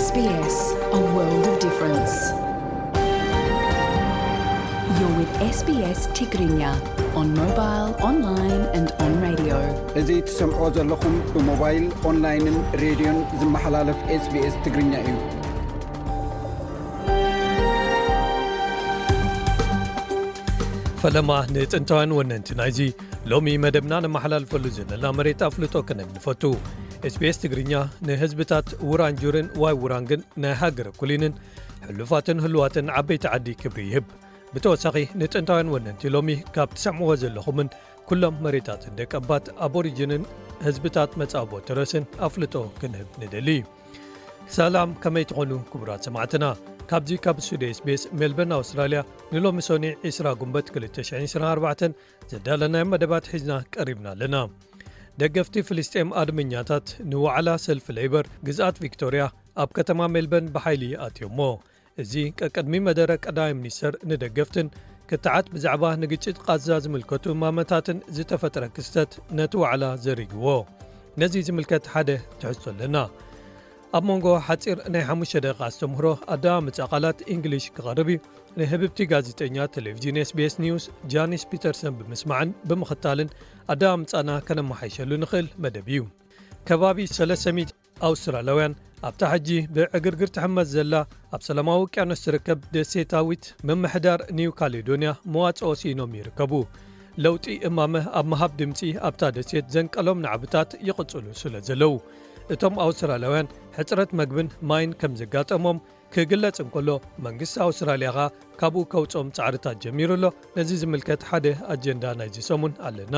S B S, a world of difference. You're with S B S Tigrinya on mobile, online and on radio. እዚ ትሰምዕዎ ዘለኹም ብሞባይል፣ ኦንላይንን ሬድዮን ዝመሓላለፍ SBS ትግርኛ እዩ። ፈለማ ንጥንታውያን ወነንቲ ናይዚ ሎሚ መደብና ነመሓላልፈሉ ዘለና መሬት ኣፍልጦ ከነግንፈቱ። SBS ትግርኛ ንህዝብታት ውራንጁርን ዋይ ውራንግን ናይ ሃገረ ኩሊንን ሕሉፋትን ህሉዋትን ዓበይቲ ዓዲ ክብሪ ይህብ። ብተወሳኺ ንጥንታውያን ወነንቲ ሎሚ ካብ ትሰምዕዎ ዘለኹምን ኩሎም መሬታትን ደቀባት ኣቦሪጅንን ህዝብታት መጻቦ ተረስን ኣፍልጦ ክንህብ ንደሊ። ሰላም፣ ከመይ ትኾኑ ክቡራት ሰማዕትና? ካብዚ ካብ ስቱዲዮ SBS ሜልበርን ኣውስትራልያ ንሎሚ ሶኒ ዕስራ ጉንበት ክልተ ሽሕን ዕስራን ኣርባዕተን ዘዳለናዮ መደባት ሒዝና ቀሪብና ኣለና። ደገፍቲ ፍልስጤም ኣድመኛታት ንዋዕላ ሰልፊ ሌበር ግዝኣት ቪክቶርያ ኣብ ከተማ ሜልበርን ብሓይሊ ኣትዮሞ። እዚ ቀቅድሚ መደረ ቀዳማይ ሚኒስተር ንደገፍትን ክትዓት ብዛዕባ ንግጭት ቃዛ ዝምልከቱ ማመታትን ዝተፈጥረ ክስተት ነቲ ዋዕላ ዘሪግዎ። ነዚ ዝምልከት ሓደ ትሕዝቶ ኣለና። ኣብ መንጎ ሓጺር ናይ ሓሙሽተ ደቂቃ ኣስተምህሮ ኣደማምጻ ቃላት እንግሊሽ ክቐርብ እዩ። ንህብብቲ ጋዜጠኛ ቴሌቪዥን SBS ኒውስ ጃኒስ ፒተርሰን ብምስማዕን ብምኽታልን ኣደማምጻና ከነመሓይሸሉ ንኽእል መደብ እዩ። ከባቢ ሰለስተ ሚእቲ ኣውስትራልያውያን ኣብታ ሕጂ ብዕግርግር ትሕመስ ዘላ ኣብ ሰላማዊ ውቅያኖስ ትርከብ ደሴታዊት ምምሕዳር ኒው ካሌዶንያ መዋጽኦ ስኢኖም ይርከቡ። ለውጢ እማመ ኣብ ምሃብ ድምጺ ኣብታ ደሴት ዘንቀሎም ናዕብታት ይቕጽሉ ስለ ዘለዉ፣ እቶም ኣውስትራልያውያን ሕጽረት መግብን ማይን ከም ዘጋጠሞም ክግለጽ እንከሎ፣ መንግስቲ ኣውስትራልያ ኸኣ ካብኡ ከውጽኦም ጻዕርታት ጀሚሩ ኣሎ። ነዚ ዝምልከት ሓደ ኣጀንዳ ናይዚ ሰሙን ኣለና።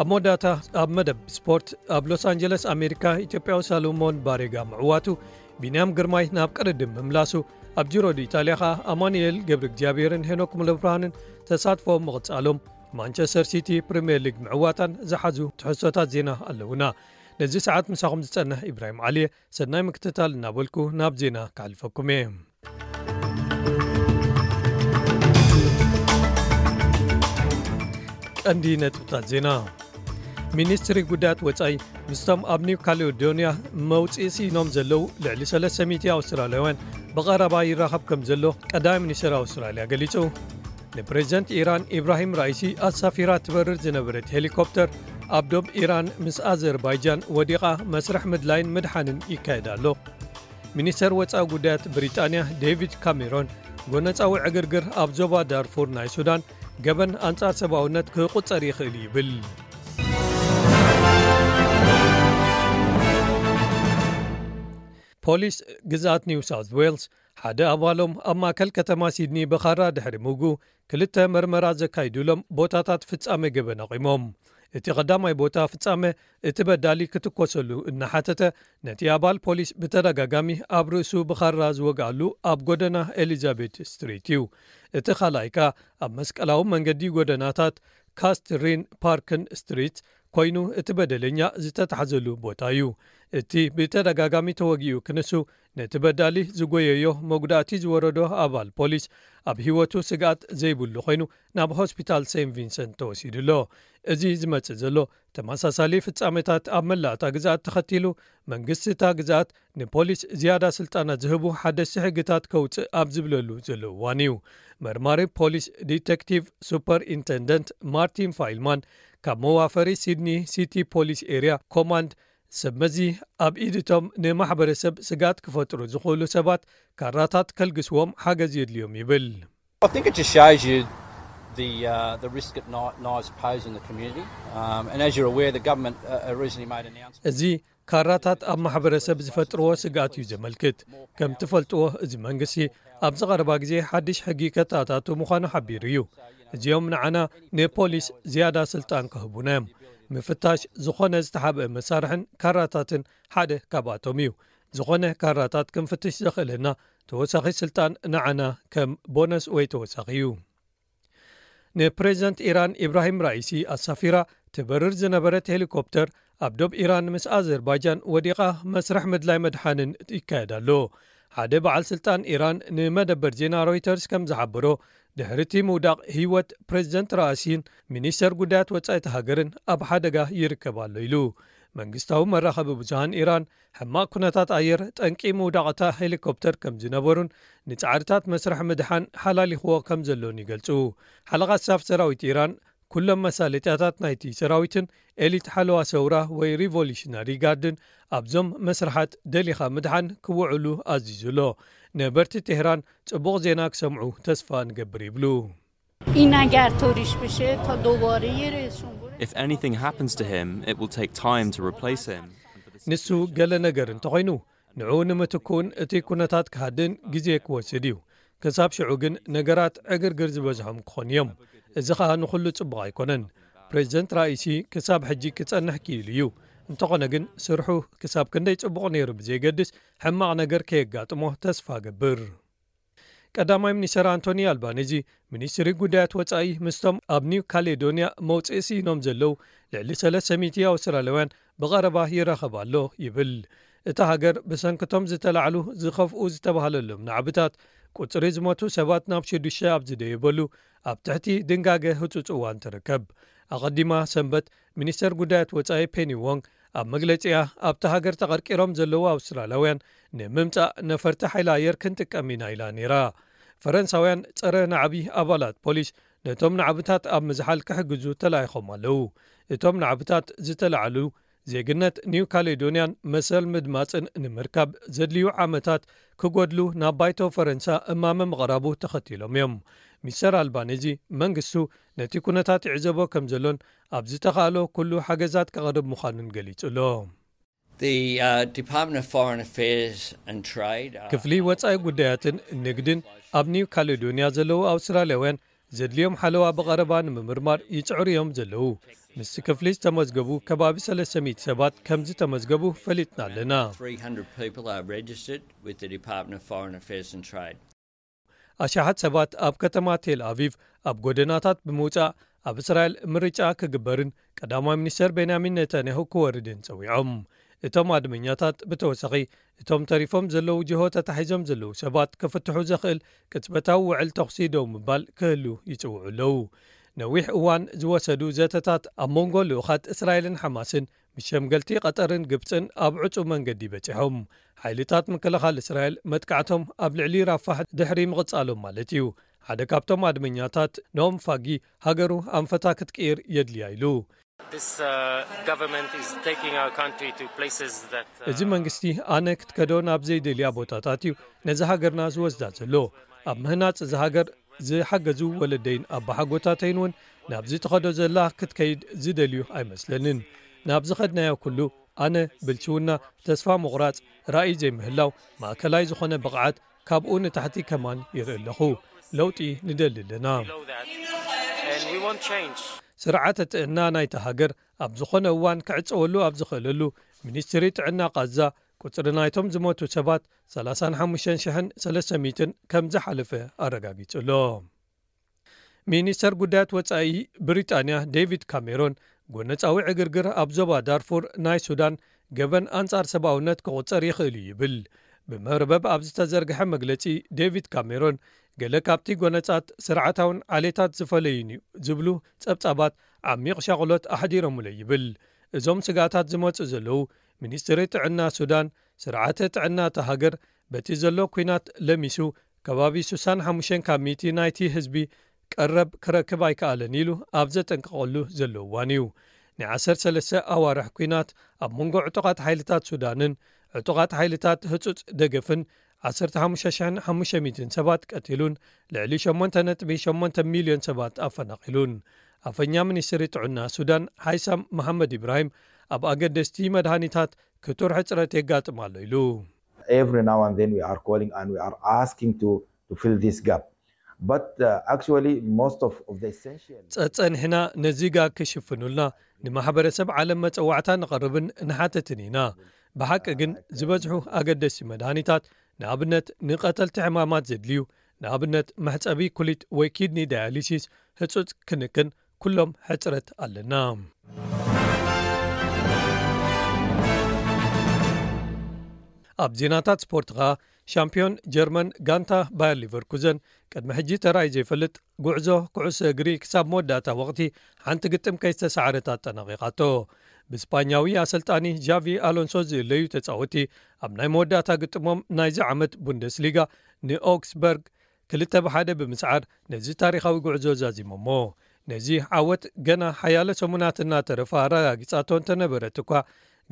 ኣብ መወዳእታ ኣብ መደብ ስፖርት፣ ኣብ ሎስ ኣንጀለስ ኣሜሪካ ኢትዮጵያዊ ሳሎሞን ባሬጋ ምዕዋቱ፣ ቢንያም ግርማይ ናብ ቅድድም ምምላሱ፣ ኣብ ጂሮ ዲ ኢጣልያ ኸኣ ኣማኑኤል ገብረ እግዚኣብሔርን ሄኖክ ሙለብርሃንን ተሳትፎ ምቕጻሎም፣ ማንቸስተር ሲቲ ፕሪምየር ሊግ ምዕዋታን ዝሓዙ ትሕዝቶታት ዜና ኣለዉና። ነዚ ሰዓት ምሳኹም ዝጸንሕ ኢብራሂም ዓሊየ፣ ሰናይ ምክትታል እናበልኩ ናብ ዜና ከሕልፈኩም እየ። ቀንዲ ነጥብታት ዜና። ሚኒስትሪ ጉዳያት ወጻኢ ምስቶም ኣብ ኒው ካሌዶንያ መውጽኢ ስኢኖም ዘለዉ ልዕሊ ሰለስተ ሚእቲ ኣውስትራልያውያን ብቐረባ ይራኸብ ከም ዘሎ ቀዳማይ ሚኒስትር ኣውስትራልያ ገሊጹ። ንፕሬዚደንት ኢራን ኢብራሂም ራኢሲ ኣሳፊራ ትበርር ዝነበረት ሄሊኮፕተር ኣብ ዶብ ኢራን ምስ ኣዘርባይጃን ወዲቓ መስርሕ ምድላይን ምድሓንን ይካየድ ኣሎ። ሚኒስተር ወጻኢ ጉዳያት ብሪጣንያ ዴቪድ ካሜሮን፣ ጎነጻዊ ዕግርግር ኣብ ዞባ ዳርፉር ናይ ሱዳን ገበን ኣንጻር ሰብኣውነት ክቑጸር ይኽእል እዩ ይብል። ፖሊስ ግዝኣት ኒው ሳውዝ ዌልስ ሓደ ኣባሎም ኣብ ማእከል ከተማ ሲድኒ ብኻራ ድሕሪ ምውጉ ክልተ መርመራ ዘካይዱሎም ቦታታት ፍጻመ ገበን ኣቑሞም። እቲ ቀዳማይ ቦታ ፍጻመ እቲ በዳሊ ክትኮሰሉ እናሓተተ፣ ነቲ ኣባል ፖሊስ ብተደጋጋሚ ኣብ ርእሱ ብኻራ ዝወግኣሉ ኣብ ጎደና ኤሊዛቤት ስትሪት እዩ። እቲ ካልኣይ ከኣ ኣብ መስቀላዊ መንገዲ ጎደናታት ካስትሪን ፓርክን ስትሪት ኮይኑ እቲ በደለኛ ዝተታሕዘሉ ቦታ እዩ። እቲ ብተደጋጋሚ ተወጊኡ ክንሱ ነቲ በዳሊ ዝጎየዮ መጉዳእቲ ዝወረዶ ኣባል ፖሊስ ኣብ ህይወቱ ስግኣት ዘይብሉ ኮይኑ ናብ ሆስፒታል ሴንት ቪንሰንት ተወሲዱ ኣሎ። እዚ ዝመጽእ ዘሎ ተመሳሳሊ ፍጻሜታት ኣብ መላእ እታ ግዝኣት ተኸቲሉ፣ መንግስቲ እታ ግዝኣት ንፖሊስ ዝያዳ ስልጣናት ዝህቡ ሓደስቲ ሕግታት ከውጽእ ኣብ ዝብለሉ ዘሎ እዋን እዩ። መርማሪ ፖሊስ ዲቴክቲቭ ሱፐር ኢንተንደንት ማርቲን ፋይልማን ካብ መዋፈሪ ሲድኒ ሲቲ ፖሊስ ኤርያ ኮማንድ፣ ሰብ መዚ ኣብ ኢድቶም ንማሕበረሰብ ስግኣት ክፈጥሩ ዝኽእሉ ሰባት ካራታት ከልግስዎም ሓገዝ የድልዮም ይብል። I think it just shows you the, uh, the risk that kni-, knives pose in the community. Um, and as you're aware, the government, uh, uh, recently made an announcement. እዚ ካራታት ኣብ ማሕበረሰብ ዝፈጥርዎ ስግኣት እዩ ዘመልክት። ከም ትፈልጥዎ፣ እዚ መንግስቲ ኣብዚ ቀረባ ግዜ ሓድሽ ሕጊ ከተኣታቱ ምዃኑ ሓቢሩ እዩ። እዚኦም ንዓና ንፖሊስ ዝያዳ ስልጣን ክህቡና እዮም። ምፍታሽ ዝኾነ ዝተሓብአ መሳርሕን ካራታትን ሓደ ካብኣቶም እዩ። ዝኾነ ካራታት ክንፍትሽ ዘኽእለና ተወሳኺ ስልጣን ንዓና ከም ቦነስ ወይ ተወሳኺ እዩ። ንፕሬዚደንት ኢራን ኢብራሂም ራኢሲ ኣሳፊራ ትበርር ዝነበረት ሄሊኮፕተር ኣብ ዶብ ኢራን ምስ ኣዘርባይጃን ወዲቓ መስርሕ ምድላይ መድሓንን ይካየድ ኣሎ። ሓደ በዓል ስልጣን ኢራን ንመደበር ዜና ሮይተርስ ከም ዝሓበሮ፣ ድሕሪ እቲ ምውዳቕ ህይወት ፕሬዚደንት ራእሲን ሚኒስተር ጉዳያት ወጻኢ እቲ ሃገርን ኣብ ሓደጋ ይርከብ ኣሎ ኢሉ። መንግስታዊ መራኸቢ ብዙሃን ኢራን ሕማቕ ኩነታት ኣየር ጠንቂ ምውዳቕታ ሄሊኮፕተር ከም ዝነበሩን ንጻዕርታት መስርሕ ምድሓን ሓላሊኽዎ ከም ዘሎን ይገልጹ። ሓለቓ ስታፍ ሰራዊት ኢራን ኩሎም መሳለጥያታት ናይቲ ሰራዊትን ኤሊት ሓለዋ ሰውራ ወይ ሪቮሉሽነሪ ጋርድን ኣብዞም መስርሓት ደሊኻ ምድሓን ክውዕሉ ኣዚዙ ኣሎ። ነበርቲ ቴህራን ጽቡቕ ዜና ክሰምዑ ተስፋ ንገብር ይብሉ። این اگر طوریش بشه تا دوباره یه رئیس جمهور If anything happens to him, it will take time to replace him. ንሱ ገለ ነገር እንተኾይኑ ንዕኡ ንምትክኡን እቲ ኩነታት ክሃድእን ግዜ ክወስድ እዩ። ክሳብ ሽዑ ግን ነገራት ዕግርግር ዝበዝሖም ክኾኑ እዮም። እዚ ኸኣ ንኹሉ ጽቡቕ ኣይኮነን። ፕሬዚደንት ራኢሲ ክሳብ ሕጂ ክጸንሕ ክኢሉ እዩ። እንተኾነ ግን ስርሑ ክሳብ ክንደይ ጽቡቕ ነይሩ ብዘይገድስ ሕማቕ ነገር ከየጋጥሞ ተስፋ ገብር። ቀዳማይ ሚኒስተር ኣንቶኒ ኣልባኒዚ ሚኒስትሪ ጉዳያት ወጻኢ ምስቶም ኣብ ኒው ካሌዶንያ መውጽኢ ስኢኖም ዘለዉ ልዕሊ ሰለስተ ሚእቲ ኣውስትራልያውያን ብቐረባ ይራኸብ ኣሎ ይብል። እታ ሃገር ብሰንክቶም ዝተላዕሉ ዝኸፍኡ ዝተባህለሎም ናዕብታት ቁጽሪ ዝሞቱ ሰባት ናብ ሽዱሽተ ኣብ ዝደየበሉ ኣብ ትሕቲ ድንጋገ ህጹጽ እዋን ትርከብ። ኣቐዲማ ሰንበት ሚኒስተር ጉዳያት ወጻኢ ፔኒ ዎንግ ኣብ መግለጺኣ ኣብታ ሃገር ተቐርቂሮም ዘለዉ ኣውስትራልያውያን ንምምጻእ ነፈርቲ ሓይሊ ኣየር ክንጥቀም ኢና ኢላ ነይራ። ፈረንሳውያን ጸረ ናዕቢ ኣባላት ፖሊስ ነቶም ናዕብታት ኣብ ምዝሓል ክሕግዙ ተላኢኾም ኣለዉ። እቶም ናዕብታት ዝተላዕሉ ዜግነት ኒው ካሌዶንያን መሰል ምድማጽን ንምርካብ ዘድልዩ ዓመታት ክጎድሉ ናብ ባይቶ ፈረንሳ እማመ ምቕራቡ ተኸቲሎም እዮም። ሚስተር ኣልባኒዚ መንግስቱ ነቲ ኩነታት ይዕዘቦ ከም ዘሎን ኣብ ዝተኻእሎ ኩሉ ሓገዛት ከቕርብ ምዃኑን ገሊጹ ኣሎ። The uh, Department of Foreign Affairs and Trade. Are... ክፍሊ ወጻኢ ጉዳያትን ንግድን ኣብ ኒው ካሌዶንያ ዘለዉ ኣውስትራልያውያን ዘድልዮም ሓለዋ ብቐረባ ንምምርማር ይጽዕሩ እዮም ዘለዉ። ምስቲ ክፍሊ ዝተመዝገቡ ከባቢ ሰለስተ ሚእቲ ሰባት ከም ዝተመዝገቡ ፈሊጥና ኣለና። three hundred people are registered with the Department of Foreign Affairs and Trade. ኣሽሓት ሰባት ኣብ ከተማ ቴል ኣቪቭ ኣብ ጎደናታት ብምውጻእ ኣብ እስራኤል ምርጫ ክግበርን ቀዳማይ ሚኒስተር ቤንያሚን ኔታንያሁ ክወርድን ጸዊዖም። እቶም ኣድመኛታት ብተወሳኺ እቶም ተሪፎም ዘለዉ ጅሆ ተታሒዞም ዘለዉ ሰባት ክፍትሑ ዘኽእል ቅጽበታዊ ውዕል ተኹሲ ደው ምባል ክህሉ ይጽውዑ ኣለዉ። ነዊሕ እዋን ዝወሰዱ ዘተታት ኣብ መንጎ ልኡኻት እስራኤልን ሓማስን ምስ ሸምገልቲ ቀጠርን ግብጽን ኣብ ዕጹ መንገዲ በጺሖም። ሓይልታት ምክልኻል እስራኤል መጥቃዕቶም ኣብ ልዕሊ ራፋሕ ድሕሪ ምቕጻሎም ማለት እዩ። ሓደ ካብቶም ኣድመኛታት ኖም ፋጊ ሃገሩ ኣንፈታ ክትቅይር የድልያ ኢሉ። This uh, government is taking our country to places that. Uh, እዚ መንግስቲ ኣነ ክትከዶ ናብ ዘይደልያ ቦታታት እዩ ነዚ ሃገርና ዝወስዳ ዘሎ። ኣብ ምህናጽ እዚ ሃገር ዝሓገዙ ወለደይን ኣባሓጎታተይን እውን ናብዚ ትኸዶ ዘላ ክትከይድ ዝደልዩ ኣይመስለንን። ናብ ዝኸድናዮ ኩሉ ኣነ ብልሽውና፣ ተስፋ ምቑራጽ፣ ራእይ ዘይምህላው፣ ማእከላይ ዝኾነ ብቕዓት፣ ካብኡ ንታሕቲ ከማን ይርኢ ኣለኹ። ለውጢ ንደሊ ኣለና። Below that, and we want change. ስርዓተ ጥዕና ናይታ ሃገር ኣብ ዝኾነ እዋን ክዕጸወሉ ኣብ ዝኽእለሉ፣ ሚኒስትሪ ጥዕና ቃዛ ቁጽሪ ናይቶም ዝሞቱ ሰባት ሰላሳን ሓሙሽተን ሽሕን ሰለስተ ሚእትን ከም ዝሓለፈ ኣረጋጊጹ ኣሎ። ሚኒስተር ጉዳያት ወጻኢ ብሪጣንያ ዴቪድ ካሜሮን ጎነጻዊ ዕግርግር ኣብ ዞባ ዳርፉር ናይ ሱዳን ገበን ኣንጻር ሰብኣውነት ክቑጸር ይኽእል እዩ ይብል። ብመርበብ ኣብ ዝተዘርግሐ መግለጺ ዴቪድ ካሜሮን ገለ ካብቲ ጎነጻት ስርዓታውን ዓሌታት ዝፈለዩን እዩ ዝብሉ ጸብጻባት ዓሚቕ ሻቕሎት ኣሕዲሮምለ ይብል። እዞም ስጋታት ዝመጹ ዘለዉ ሚኒስትሪ ጥዕና ሱዳን ስርዓተ ጥዕና እታ ሃገር በቲ ዘሎ ኲናት ለሚሱ ከባቢ ስሳን ሓሙሽተን ካብ ሚእቲ ናይቲ ህዝቢ ቀረብ ክረክብ ኣይከኣለን ኢሉ ኣብ ዘጠንቀቐሉ ዘሎ እዋን እዩ። ናይ ዓሰርተ ሰለስተ ኣዋርሕ ኲናት ኣብ መንጎ ዕጡቓት ሓይልታት ሱዳንን ዕጡቓት ሓይልታት ህጹጽ ደገፍን ዓሰርተ ሓሙሽተ ሽሕን ሓሙሽተ ሚእትን ሰባት ቀቲሉን ልዕሊ ሸሞንተ ነጥቢ ሸሞንተ ሚልዮን ሰባት ኣፈናቒሉን። ኣፈኛ ሚኒስትሪ ጥዕና ሱዳን ሓይሳም መሓመድ ኢብራሂም ኣብ ኣገደስቲ መድሃኒታት ክቱር ሕጽረት የጋጥም ኣሎ ኢሉ። Every now and then we are calling and we are asking to, to fill this gap. But uh, actually, most of, of the essential. ጸጸንሕና ነዚ ጋግ ክሽፍኑልና ንማሕበረሰብ ዓለም መጸዋዕታ ንቐርብን ንሓተትን ኢና። ብሓቂ ግን ዝበዝሑ ኣገደስቲ መድሃኒታት ንኣብነት ንቐተልቲ ሕማማት ዘድልዩ ንኣብነት መሕጸቢ ኩሊት ወይ ኪድኒ ዳያሊሲስ ህጹጽ ክንክን ኩሎም ሕጽረት ኣለና። ኣብ ዜናታት ስፖርት ኸኣ ሻምፒዮን ጀርመን ጋንታ ባየር ሊቨርኩዘን ቅድሚ ሕጂ ተራይ ዘይፈልጥ ጉዕዞ ኩዕሶ እግሪ ክሳብ መወዳእታ ወቕቲ ሓንቲ ግጥም ከይተሳዕረት ኣጠናቒቓቶ። ብስፓኛዊ ኣሰልጣኒ ጃቪ ኣሎንሶ ዝእለዩ ተጻወቲ፣ ኣብ ናይ መወዳእታ ግጥሞም ናይዚ ዓመት ቡንደስሊጋ ንኦክስበርግ ክልተ ብሓደ ብምስዓር፣ ነዚ ታሪኻዊ ጉዕዞ ዛዚሞሞ። ነዚ ዓወት ገና ሓያለ ሰሙናት እናተረፋ ኣረጋጊጻቶ እንተነበረት እኳ፣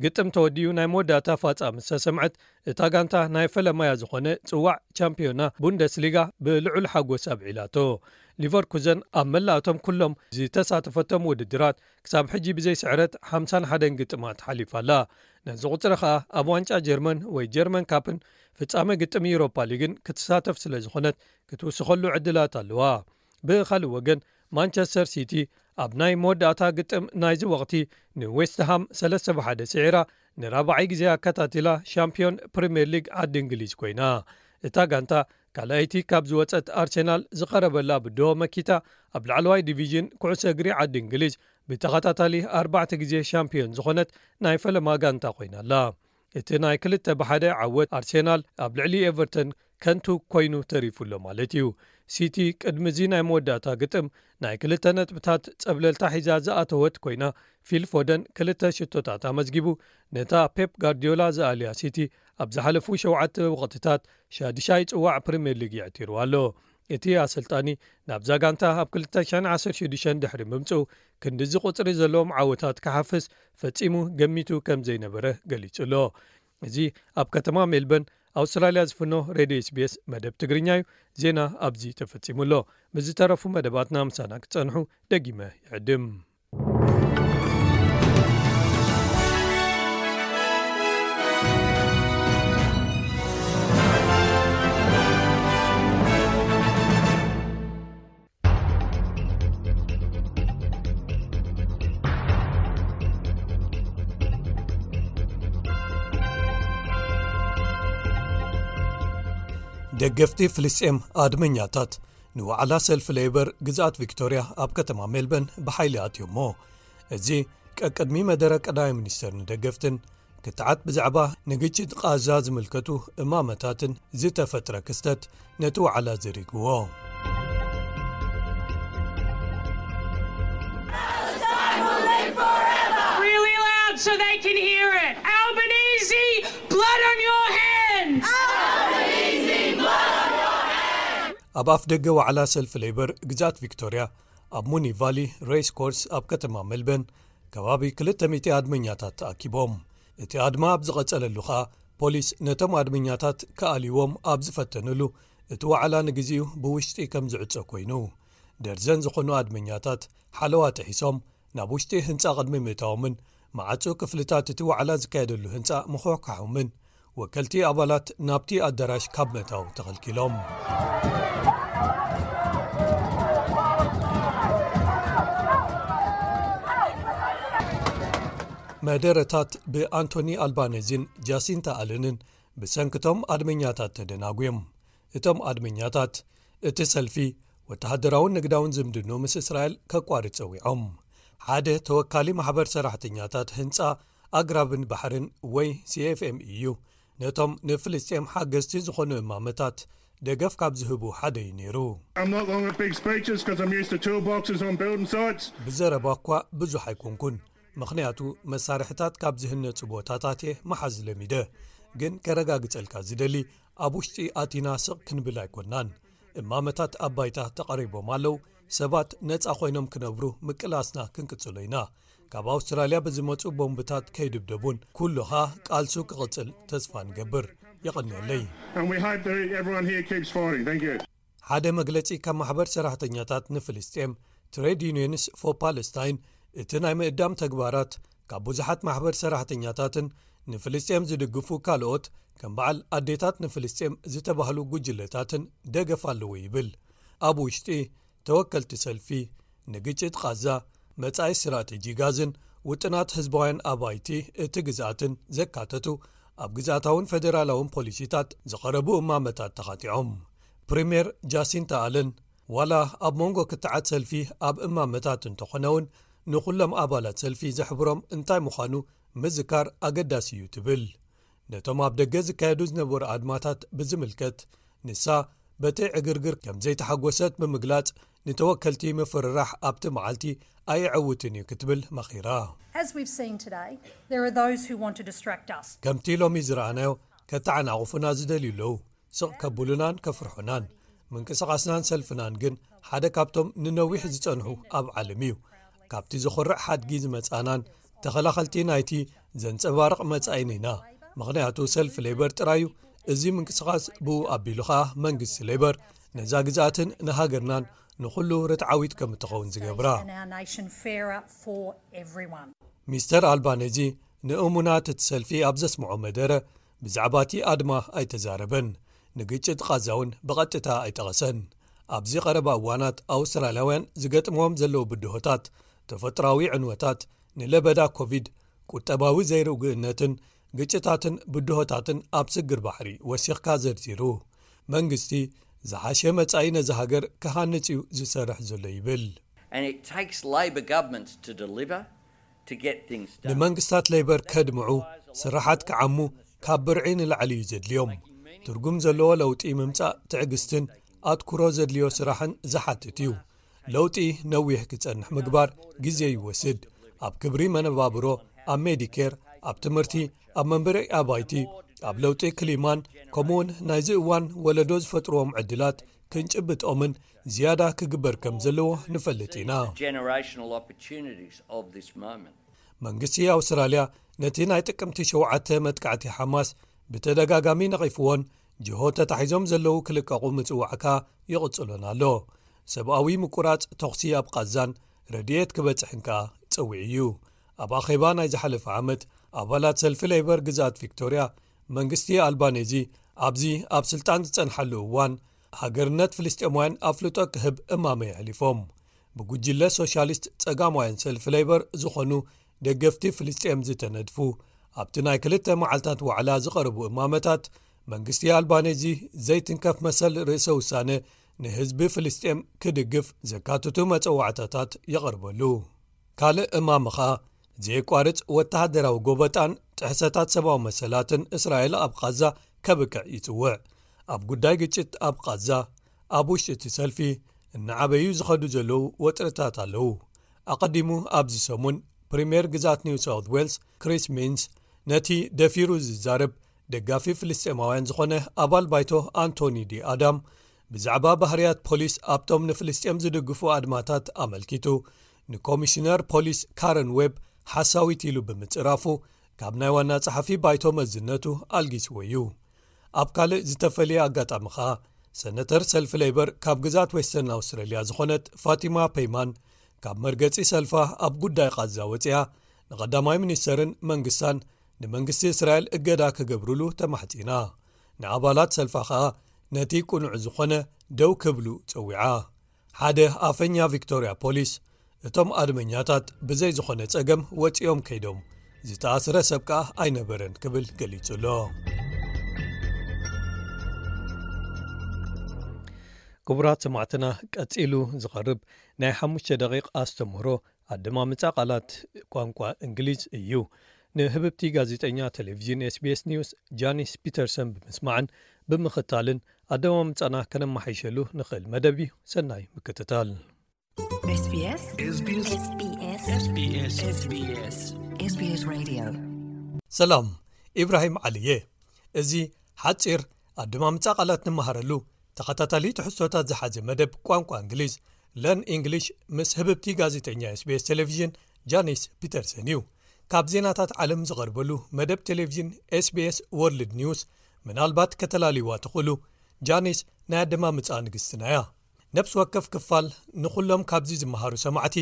ግጥም ተወዲኡ ናይ መወዳእታ ፋጻ ምስ ተሰምዐት፣ እታ ጋንታ ናይ ፈለማያ ዝኾነ ጽዋዕ ቻምፒዮና ቡንደስሊጋ ብልዑል ሓጎስ ኣብዒላቶ። ሊቨርኩዘን ኣብ መላእቶም ኩሎም ዝተሳተፈቶም ውድድራት ክሳብ ሕጂ ብዘይ ስዕረት ሓምሳን ሓደን ግጥማት ሓሊፋ ኣላ። ነዚ ቁጽሪ ኸኣ ኣብ ዋንጫ ጀርመን ወይ ጀርመን ካፕን ፍጻመ ግጥም ዩሮፓ ሊግን ክትሳተፍ ስለ ዝኾነት ክትውስኸሉ ዕድላት ኣለዋ። ብኻልእ ወገን ማንቸስተር ሲቲ ኣብ ናይ መወዳእታ ግጥም ናይዚ ወቕቲ ንዌስትሃም ሰለስተ ብሓደ ስዒራ ንራብዓይ ግዜ ኣከታቲላ ሻምፒዮን ፕሪምየር ሊግ ዓዲ እንግሊዝ ኮይና። እታ ጋንታ ካልኣይቲ ካብ ዝወጸት ኣርሴናል ዝቐረበላ ብድሆ መኪታ ኣብ ላዕለዋይ ዲቪዥን ኩዕሶ እግሪ ዓዲ እንግሊዝ ብተኸታታሊ ኣርባዕተ ግዜ ሻምፒዮን ዝኾነት ናይ ፈለማ ጋንታ ኮይና ኣላ። እቲ ናይ ክልተ ብሓደ ዓወት ኣርሴናል ኣብ ልዕሊ ኤቨርተን ከንቱ ኮይኑ ተሪፉ ኣሎ ማለት እዩ። ሲቲ ቅድሚ እዚ ናይ መወዳእታ ግጥም ናይ ክልተ ነጥብታት ጸብለልታ ሒዛ ዝኣተወት ኮይና፣ ፊል ፎደን ክልተ ሽቶታት ኣመዝጊቡ፣ ነታ ፔፕ ጋርዲዮላ ዝኣልያ ሲቲ ኣብ ዝሓለፉ ሸውዓተ ወቕትታት ሻድሻይ ጽዋዕ ፕሪምየር ሊግ የዕቲሩ ኣሎ። እቲ ኣሰልጣኒ ናብዛ ጋንታ ኣብ ክልተ ሽሕን ዓሰርተ ሽዱሽተን ድሕሪ ምምጽኡ ክንድዚ ቁጽሪ ዘለዎም ዓወታት ክሓፍስ ፈጺሙ ገሚቱ ከም ዘይነበረ ገሊጹ ኣሎ። እዚ ኣብ ከተማ ሜልበርን ኣውስትራልያ ዝፍኖ ሬድዮ ኤስቢኤስ መደብ ትግርኛ እዩ። ዜና ኣብዚ ተፈጺሙ ኣሎ። ምስ ዝተረፉ መደባትና ምሳና ክትጸንሑ ደጊመ ይዕድም። ደገፍቲ ፍልስጤም ኣድመኛታት ንዋዕላ ሰልፊ ሌበር ግዝኣት ቪክቶርያ ኣብ ከተማ ሜልበርን ብሓይሊ ኣትዮሞ። እዚ ቀቅድሚ መደረ ቀዳማይ ሚኒስተር ንደገፍትን ክትዓት ብዛዕባ ንግጭት ቃዛ ዝምልከቱ እማመታትን ዝተፈጥረ ክስተት ነቲ ዋዕላ ዘሪግዎ። Really loud so they can hear it. Albanese, blood on your hands! Albanese, blood on your hands! ኣብ ኣፍ ደገ ዋዕላ ሰልፊ ሌበር ግዛት ቪክቶርያ ኣብ ሙኒ ቫሊ ሬስ ኮርስ ኣብ ከተማ ሜልበርን ከባቢ ክልተ ሚእቲ ኣድመኛታት ተኣኪቦም። እቲ ኣድማ ኣብ ዝቐጸለሉ ኸኣ ፖሊስ ነቶም ኣድመኛታት ክኣልይዎም ኣብ ዝፈተንሉ እቲ ዋዕላ ንግዜኡ ብውሽጢ ከም ዝዕጾ ኮይኑ፣ ደርዘን ዝኾኑ ኣድመኛታት ሓለዋ ጥሒሶም ናብ ውሽጢ ህንጻ ቅድሚ ምእታዎምን መዓጹ ክፍልታት እቲ ዋዕላ ዝካየደሉ ህንጻ ምኹሕካሖምን ወከልቲ ኣባላት ናብቲ ኣዳራሽ ካብ ምእታው ተኸልኪሎም። መደረታት ብኣንቶኒ ኣልባነዚን ጃሲንታ ኣለንን ብሰንክቶም ኣድመኛታት ተደናጉዮም። እቶም ኣድመኛታት እቲ ሰልፊ ወተሃደራውን ንግዳውን ዝምድንኡ ምስ እስራኤል ከቋርጽ ጸዊዖም። ሓደ ተወካሊ ማሕበር ሰራሕተኛታት ህንጻ ኣግራብን ባሕርን ወይ ሲኤፍኤም እዩ። ነቶም ንፍልስጤም ሓገዝቲ ዝኾኑ እማመታት ደገፍ ካብ ዝህቡ ሓደ እዩ ነይሩ። I'm not long at big speeches 'cause I'm used to toolboxes on building sites. ብዘረባ እኳ ብዙሕ ኣይኮንኩን፣ ምኽንያቱ መሳርሕታት ካብ ዝህነጹ ቦታታት እየ መሓዝ ለሚደ። ግን ከረጋግጸልካ ዝደሊ፣ ኣብ ውሽጢ ኣቲና ስቕ ክንብል ኣይኮናን። እማመታት ኣብ ባይታ ተቐሪቦም ኣለዉ። ሰባት ነጻ ኮይኖም ክነብሩ ምቅላስና ክንቅጽሎ ኢና። ካብ ኣውስትራልያ ብዝመጹ ቦምብታት ከይድብደቡን ኩሉ ኸኣ ቃልሱ ክቕጽል ተስፋ ንገብር። የቐንየለይ። And we hope that everyone here keeps fighting. Thank you. ሓደ መግለጺ ካብ ማሕበር ሰራሕተኛታት ንፍልስጤም፣ ትሬድ ዩኒየንስ ፎር ፓለስታይን፣ እቲ ናይ ምእዳም ተግባራት ካብ ብዙሓት ማሕበር ሰራሕተኛታትን ንፍልስጤም ዝድግፉ ካልኦት ከም በዓል ኣዴታት ንፍልስጤም ዝተባህሉ ጉጅለታትን ደገፍ ኣለዎ ይብል። ኣብ ውሽጢ ተወከልቲ ሰልፊ ንግጭት ቃዛ፣ መጻኢ ስትራተጂ ጋዝን ውጥናት ህዝባውያን ኣባይቲ እቲ ግዝኣትን ዘካተቱ ኣብ ግዝኣታውን ፈደራላውን ፖሊሲታት ዝቐረቡ እማመታት ተኻቲዖም። ፕሪምየር ጃሲንታ ኣለን፣ ዋላ ኣብ መንጎ ክትዓት ሰልፊ ኣብ እማመታት እንተኾነ እውን፣ ንኹሎም ኣባላት ሰልፊ ዘሕብሮም እንታይ ምዃኑ ምዝካር ኣገዳሲ እዩ ትብል። ነቶም ኣብ ደገ ዝካየዱ ዝነበሩ ኣድማታት ብዝምልከት፣ ንሳ በቲ ዕግርግር ከም ዘይተሓጎሰት ብምግላጽ፣ ንተወከልቲ ምፍርራሕ ኣብቲ መዓልቲ ኣየዕውትን እዩ ክትብል መኺራ። As we've seen today, there are those who want to distract us. ከምቲ ሎሚ ዝረኣናዮ ከተዓናቑፉና ዝደልዩ ኣለዉ። ስቕ ከብሉናን ከፍርሑናን፣ ምንቅስቓስናን ሰልፍናን ግን ሓደ ካብቶም ንነዊሕ ዝጸንሑ ኣብ ዓለም እዩ። ካብቲ ዘኹርዕ ሓድጊ ዝመጻናን ተኸላኸልቲ ናይቲ ዘንጸባርቕ መጻኢን ኢና። ምኽንያቱ ሰልፊ ሌበር ጥራዩ እዚ ምንቅስቓስ ብኡ ኣቢሉ ኸኣ መንግስቲ ሌበር ነዛ ግዝኣትን ንሃገርናን ንኹሉ ርትዓዊት ከም እትኸውን ዝገብራ። And our nation fairer for everyone. ሚስተር ኣልባኔዚ ንእሙናት እቲ ሰልፊ ኣብ ዘስምዖ መደረ ብዛዕባ እቲ ኣድማ ኣይተዛረበን። ንግጭት ቓዛ እውን ብቐጥታ ኣይጠቐሰን። ኣብዚ ቀረባ እዋናት ኣውስትራልያውያን ዝገጥምዎም ዘለዉ ብድሆታት፣ ተፈጥሮኣዊ ዕንወታት፣ ንለበዳ ኮቪድ፣ ቁጠባዊ ዘይርጉእነትን ግጭታትን ብድሆታትን ኣብ ስግር ባሕሪ ወሲኽካ ዘርዚሩ። መንግስቲ ዝሓሸ መጻኢ ነዛ ሃገር ክሃንጽ እዩ ዝሰርሕ ዘሎ ይብል። And it takes Labor governments to deliver, to get things done. ንመንግስታት ሌበር ከድምዑ፣ ስራሓት ክዓሙ ካብ ብርዒ ንላዕሊ እዩ ዘድልዮም። ትርጉም ዘለዎ ለውጢ ምምጻእ ትዕግስትን ኣትኩሮ ዘድልዮ ስራሕን ዝሓትት እዩ። ለውጢ ነዊሕ ክጸንሕ ምግባር ግዜ ይወስድ። ኣብ ክብሪ መነባብሮ፣ ኣብ ሜዲኬር፣ ኣብ ትምህርቲ፣ ኣብ መንበሪ ኣባይቲ፣ ኣብ ለውጢ ክሊማን ከምኡውን ናይዚ እዋን ወለዶ ዝፈጥርዎም ዕድላት ክንጭብጦምን ዝያዳ ክግበር ከም ዘለዎ ንፈልጥ ኢና። Generational opportunities of this moment. መንግስቲ ኣውስትራልያ ነቲ ናይ ጥቅምቲ ሸውዓተ መጥቃዕቲ ሓማስ ብተደጋጋሚ ነቒፍዎን ጅሆ ተታሒዞም ዘለዉ ክልቀቑ ምጽዋዕ ከኣ ይቕጽሎን ኣሎ። ሰብኣዊ ምቁራጽ ተኹሲ ኣብ ቓዛን ረድኤት ክበጽሕን ከኣ ጸዊዑ እዩ። ኣብ ኣኼባ ናይ ዝሓለፈ ዓመት ኣባላት ሰልፊ ሌበር ግዝኣት ቪክቶርያ መንግስቲ ኣልባኔዚ ኣብዚ ኣብ ስልጣን ዝጸንሓሉ እዋን ሃገርነት ፍልስጤማውያን ኣፍልጦ ክህብ እማመ የሕሊፎም። ብጉጅለ ሶሻሊስት ጸጋማውያን ሰልፊ ሌበር ዝኾኑ ደገፍቲ ፍልስጤም ዝተነድፉ ኣብቲ ናይ ክልተ መዓልታት ዋዕላ ዝቐረቡ እማመታት መንግስቲ ኣልባኔዚ ዘይትንከፍ መሰል ርእሰ ውሳነ ንህዝቢ ፍልስጤም ክድግፍ ዘካትቱ መጸዋዕታታት የቐርበሉ። ካልእ እማመ ኸኣ ዘየቋርጽ ወተሃደራዊ ጎበጣን ጥሕሰታት ሰብኣዊ መሰላትን እስራኤል ኣብ ቓዛ ከብቅዕ ይጽውዕ። ኣብ ጉዳይ ግጭት ኣብ ቓዛ ኣብ ውሽጢ እቲ ሰልፊ እናዓበዩ ዝኸዱ ዘለዉ ወጥርታት ኣለዉ። ኣቐዲሙ ኣብዚ ሰሙን ፕሪምየር ግዛት ኒው ሳውት ዌልስ ክሪስ ሚንስ ነቲ ደፊሩ ዝዛረብ ደጋፊ ፍልስጤማውያን ዝኾነ ኣባል ባይቶ ኣንቶኒ ዲ ኣዳም ብዛዕባ ባህርያት ፖሊስ ኣብቶም ንፍልስጤም ዝድግፉ ኣድማታት ኣመልኪቱ ንኮሚሽነር ፖሊስ ካረን ዌብ ሓሳዊት ኢሉ ብምጽራፉ ካብ ናይ ዋና ጸሓፊ ባይቶ መዝነቱ ኣልጊስዎ እዩ። ኣብ ካልእ ዝተፈልየ ኣጋጣሚ ኸኣ ሰነተር ሰልፊ ሌበር ካብ ግዛት ዌስተርን ኣውስትራልያ ዝኾነት ፋቲማ ፔይማን ካብ መርገጺ ሰልፋ ኣብ ጉዳይ ቓዛ ወጺኣ ንቐዳማይ ሚኒስተርን መንግስታን ንመንግስቲ እስራኤል እገዳ ክገብሩሉ ተማሕጺና። ንኣባላት ሰልፋ ኸኣ ነቲ ቅኑዕ ዝኾነ ደው ክብሉ ጸዊዓ። ሓደ ኣፈኛ ቪክቶርያ ፖሊስ እቶም ኣድመኛታት ብዘይ ዝኾነ ጸገም ወጺኦም ከይዶም፣ ዝተኣስረ ሰብ ከኣ ኣይነበረን ክብል ገሊጹ ኣሎ። ክቡራት ሰማዕትና፣ ቀጺሉ ዝቐርብ ናይ ሓሙሽተ ደቂቕ ኣስተምህሮ ኣደማምጻ ቃላት ቋንቋ እንግሊዝ እዩ። ንህብብቲ ጋዜጠኛ ቴሌቪዥን ኤስቢኤስ ኒውስ ጃኒስ ፒተርሰን ብምስማዕን ብምኽታልን ኣደማምጻና ከነመሓይሸሉ ንኽእል መደብ እዩ። ሰናይ ምክትታል። SBS SBS SBS SBS SBS Radio። ሰላም፣ ኢብራሂም ዓሊ እየ። እዚ ሓጺር ኣደማምጻ ቃላት ንመሃረሉ ተኸታታሊ ትሕዝቶታት ዝሓዘ መደብ ቋንቋ እንግሊዝ ለርን ኢንግሊሽ ምስ ህብብቲ ጋዜጠኛ ኤስቢኤስ ቴሌቪዥን ጃኒስ ፒተርሰን እዩ። ካብ ዜናታት ዓለም ዝቐርበሉ መደብ ቴሌቪዥን ኤስቢኤስ ወርልድ ኒውስ ምናልባት ከተላልይዋ ትኽእሉ። ጃኒስ ናይ ኣደማምጻ ንግስትና እያ። ነፍሲ ወከፍ ክፋል ንኹሎም ካብዚ ዝመሃሩ ሰማዕቲ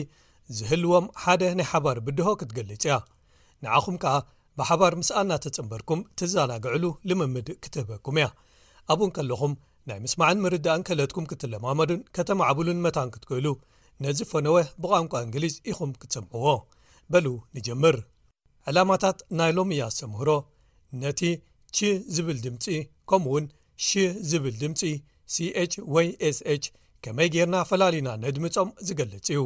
ዝህልዎም ሓደ ናይ ሓባር ብድሆ ክትገልጽ እያ። ንዓኹም ከኣ ብሓባር ምስኣ እናተጸንበርኩም ትዘናግዕሉ ልምምድ ክትህበኩም እያ። ኣብኡ እንከለኹም ናይ ምስማዕን ምርዳእን ክእለትኩም ክትለማመዱን ከተማዕብሉን መታን ክትክእሉ ነዚ ፈነወ ብቋንቋ እንግሊዝ ኢኹም ክትሰምዕዎ። በሉ ንጀምር። ዕላማታት ናይ ሎሚ ኣስተምህሮ ነቲ ች ዝብል ድምጺ ከምኡውን ሽ ዝብል ድምጺ ሲኤች ወይ ኤስኤች ከመይ ጌርና ፈላሊና ነድምጾም ዝገልጽ እዩ።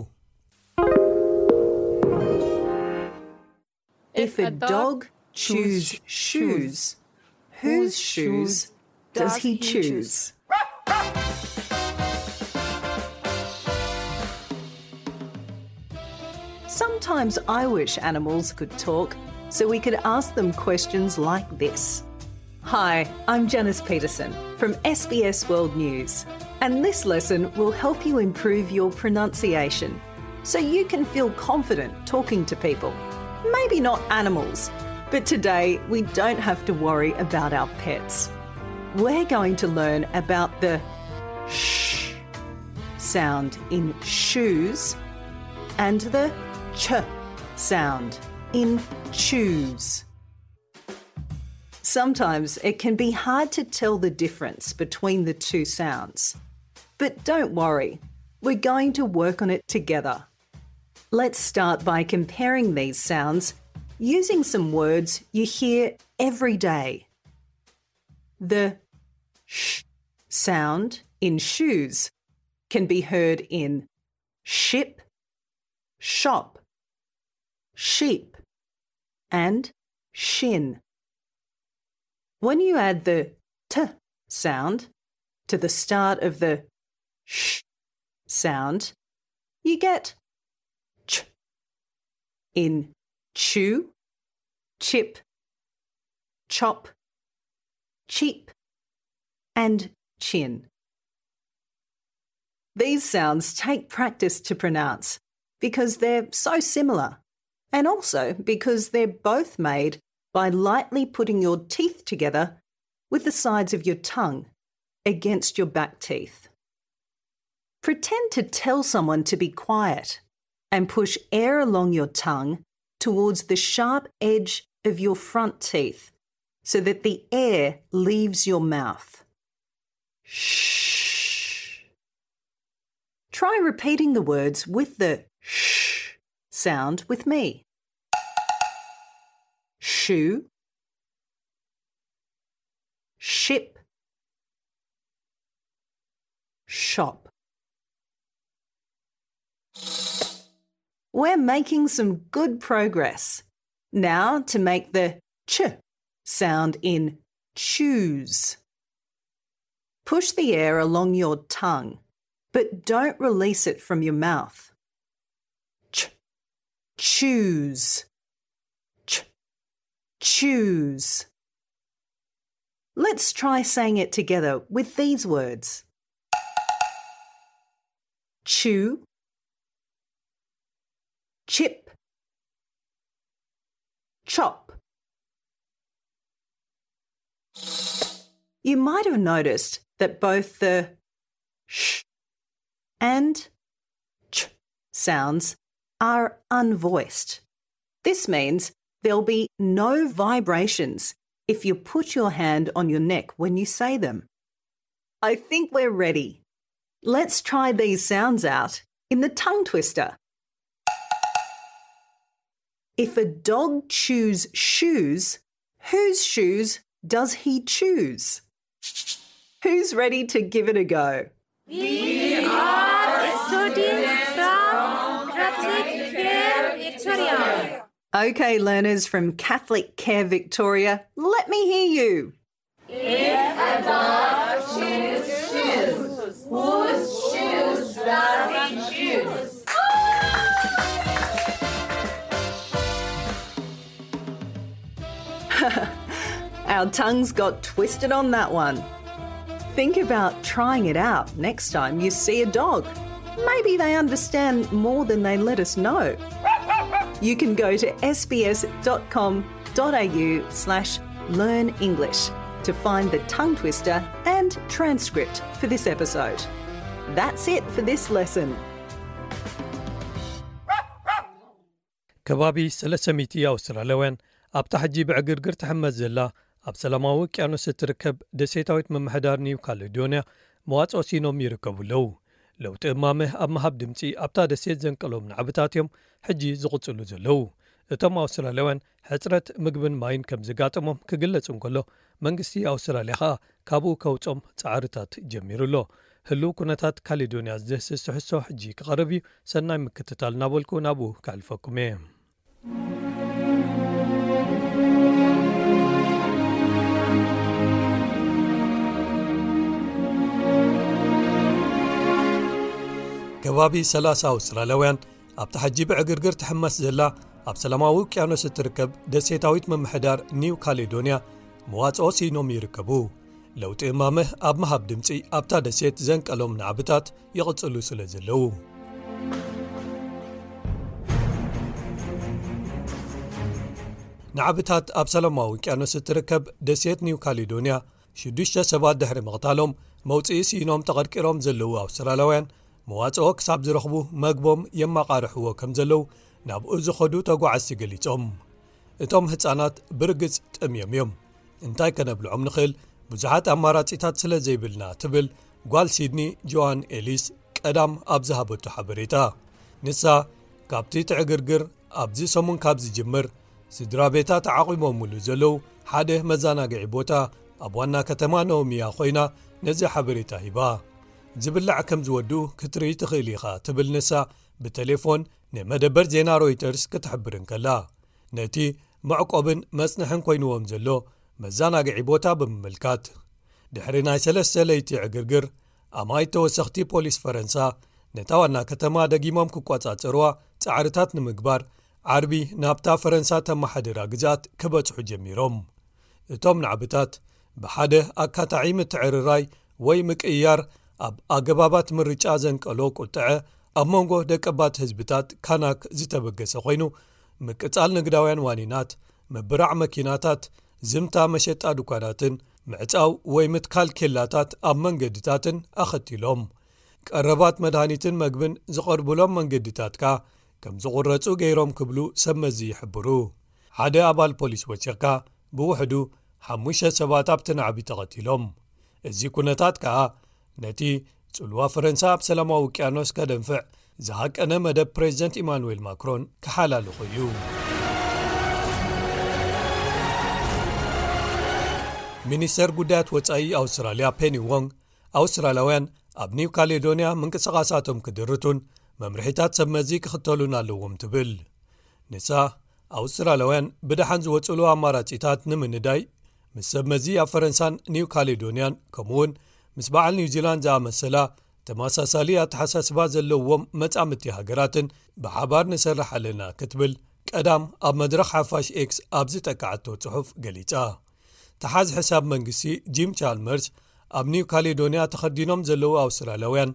If a dog chews shoes, whose shoes does he choose? Sometimes I wish animals could talk so we could ask them questions like this. Hi, I'm Janice Peterson from S B S World News, and this lesson will help you improve your pronunciation so you can feel confident talking to people. Maybe not animals, but today we don't have to worry about our pets. We're going to learn about the sh sound in shoes and the ch sound in choose. Sometimes it can be hard to tell the difference between the two sounds. But don't worry, we're going to work on it together. Let's start by comparing these sounds using some words you hear every day. The sh sound in shoes can be heard in ship, shop, sheep, and shin. When you add the t sound to the start of the sh sound, you get ch in chew, chip, chop, cheap, and chin. These sounds take practice to pronounce because they're so similar, and also because they're both made by lightly putting your teeth together with the sides of your tongue against your back teeth. Pretend to tell someone to be quiet and push air along your tongue towards the sharp edge of your front teeth so that the air leaves your mouth. Shh. Try repeating the words with the sh sound with me. Shoe, ship, shop. We're making some good progress. Now to make the ch sound in choose. Push the air along your tongue, but don't release it from your mouth. Ch, choose. Ch, choose. Let's try saying it together with these words: chew, chip, chop. You might have noticed that both the sh and ch sounds are unvoiced. This means there'll be no vibrations if you put your hand on your neck when you say them. I think we're ready. Let's try these sounds out in the tongue twister. If a dog chews shoes, whose shoes does he choose? Who's ready to give it a go? We are students from Catholic Care Victoria. Okay, learners from Catholic Care Victoria, let me hear you. If a dog chews shoes, whose shoes does he choose? Our tongues got twisted on that one. Think about trying it out next time you see a dog. Maybe they understand more than they let us know. You can go to sbs.com.au slash learn English to find the tongue twister and transcript for this episode. That's it for this lesson. ከባቢ ሰለስተ ሚእቲ ኣውስትራልያውያን ኣብታ ሕጂ ብዕግርግር ትሕመስ ዘላ ኣብ ሰላማዊ ውቅያኖስ እትርከብ ደሴታዊት ምምሕዳር ኒው ካሌዶንያ መዋጽኦ ሲኖም ይርከቡ ኣለዉ። ለውጢ እማመ ኣብ ምሃብ ድምጺ ኣብታ ደሴት ዘንቀሎም ናዕብታት እዮም ሕጂ ዝቕጽሉ ዘለዉ። እቶም ኣውስትራልያውያን ሕጽረት ምግብን ማይን ከም ዘጋጠሞም ክግለጽ እንከሎ መንግስቲ ኣውስትራልያ ኸኣ ካብኡ ከውጾም ጻዕርታት ጀሚሩ ኣሎ። ህሉው ኩነታት ካሌዶንያ ዝድህስስ ትሕዝቶ ሕጂ ክቐርብ እዩ። ሰናይ ምክትታል እናበልኩ ናብኡ ከሕልፈኩም እየ። ከባቢ ሰላሳ ኣውስትራልያውያን ኣብታ ሕጂ ብዕግርግር ትሕመስ ዘላ ኣብ ሰላማዊ ውቅያኖስ እትርከብ ደሴታዊት ምምሕዳር ኒው ካሌዶንያ መዋጽኦ ስኢኖም ይርከቡ። ለውጢ እማመ ኣብ ምሃብ ድምጺ ኣብታ ደሴት ዘንቀሎም ናዕብታት ይቕጽሉ ስለ ዘለዉ። ናዕብታት ኣብ ሰላማዊ ውቅያኖስ እትርከብ ደሴት ኒው ካሌዶንያ ሽዱሽተ ሰባት ድሕሪ ምቕታሎም መውጽኢ ስኢኖም ተቐርቂሮም ዘለዉ ኣውስትራልያውያን መዋጽኦ ክሳብ ዝረኽቡ መግቦም የማቓርሕዎ ከም ዘለዉ ናብኡ ዝኸዱ ተጓዓዝቲ ገሊጾም። እቶም ህጻናት ብርግጽ ጠምዮም እዮም። እንታይ ከነብልዖም ንኽእል? ብዙሓት ኣማራጺታት ስለ ዘይብልና ትብል ጓል ሲድኒ ጆዋን ኤሊስ ቀዳም ኣብ ዝሃበቶ ሓበሬታ። ንሳ ካብቲ ትዕግርግር ኣብዚ ሰሙን ካብ ዝጅምር ስድራ ቤታ ተዓቒቦምሉ ዘለዉ ሓደ መዘናግዒ ቦታ ኣብ ዋና ከተማ ኖሚያ ኮይና ነዚ ሓበሬታ ሂባ። ዝብላዕ ከም ዝወዱ ክትርኢ ትኽእል ኢኻ ትብል ንሳ ብቴሌፎን ንመደበር ዜና ሮይተርስ ክትሕብር እንከላ። ነቲ መዕቆብን መጽንሕን ኮይንዎም ዘሎ መዘናግዒ ቦታ ብምምልካት። ድሕሪ ናይ ሰለስተ ለይቲ ዕግርግር ኣማይ ተወሰኽቲ ፖሊስ ፈረንሳ ነታ ዋና ከተማ ደጊሞም ክቆጻጸርዋ ጻዕርታት ንምግባር ዓርቢ ናብታ ፈረንሳ ተመሓድራ ግዛት ክበጽሑ ጀሚሮም። እቶም ናዕብታት ብሓደ ኣካታዒ ምትዕርራይ ወይ ምቅይያር ኣብ ኣገባባት ምርጫ ዘንቀሎ ቁጥዐ ኣብ መንጎ ደቀባት ህዝብታት ካናክ ዝተበገሰ ኮይኑ ምቅጻል ንግዳውያን ዋኒናት፣ ምብራዕ መኪናታት፣ ዝምታ መሸጣ ድኳናትን ምዕጻው ወይ ምትካል ኬላታት ኣብ መንገድታትን ኣኸቲሎም። ቀረባት መድሃኒትን መግብን ዝቐርቡሎም መንገድታት ከኣ ከም ዝቑረጹ ገይሮም ክብሉ ሰብ መዚ ይሕብሩ። ሓደ ኣባል ፖሊስ ወሲኽካ ብውሕዱ ሓሙሽተ ሰባት ኣብቲ ናዕቢ ተቐቲሎም። እዚ ኩነታት ከኣ ነቲ ጽልዋ ፈረንሳ ኣብ ሰላማዊ ውቅያኖስ ከደንፍዕ ዝሃቀነ መደብ ፕሬዚደንት ኢማኑኤል ማክሮን ክሓላልኾ እዩ። ሚኒስተር ጉዳያት ወጻኢ ኣውስትራልያ ፔኒ ዎንግ ኣውስትራልያውያን ኣብ ኒው ካሌዶንያ ምንቅስቓሳቶም ክድርቱን መምርሒታት ሰብ መዚ ክኽተሉን ኣለዎም ትብል። ንሳ ኣውስትራልያውያን ብደሓን ዝወጽሉ ኣማራጺታት ንምንዳይ ምስ ሰብ መዚ ኣብ ፈረንሳን ኒው ካሌዶንያን ከምኡውን ምስ በዓል ኒውዚላንድ ዝኣመሰላ ተመሳሳሊ ኣተሓሳስባ ዘለዎም መጻምድቲ ሃገራትን ብሓባር ንሰርሕ ኣለና ክትብል ቀዳም ኣብ መድረኽ ሓፋሽ ኤክስ ኣብ ዝጠቃዓቶ ጽሑፍ ገሊጻ። ተሓዝ ሕሳብ መንግስቲ ጂም ቻልመርስ ኣብ ኒው ካሌዶንያ ተኸዲኖም ዘለዉ ኣውስትራልያውያን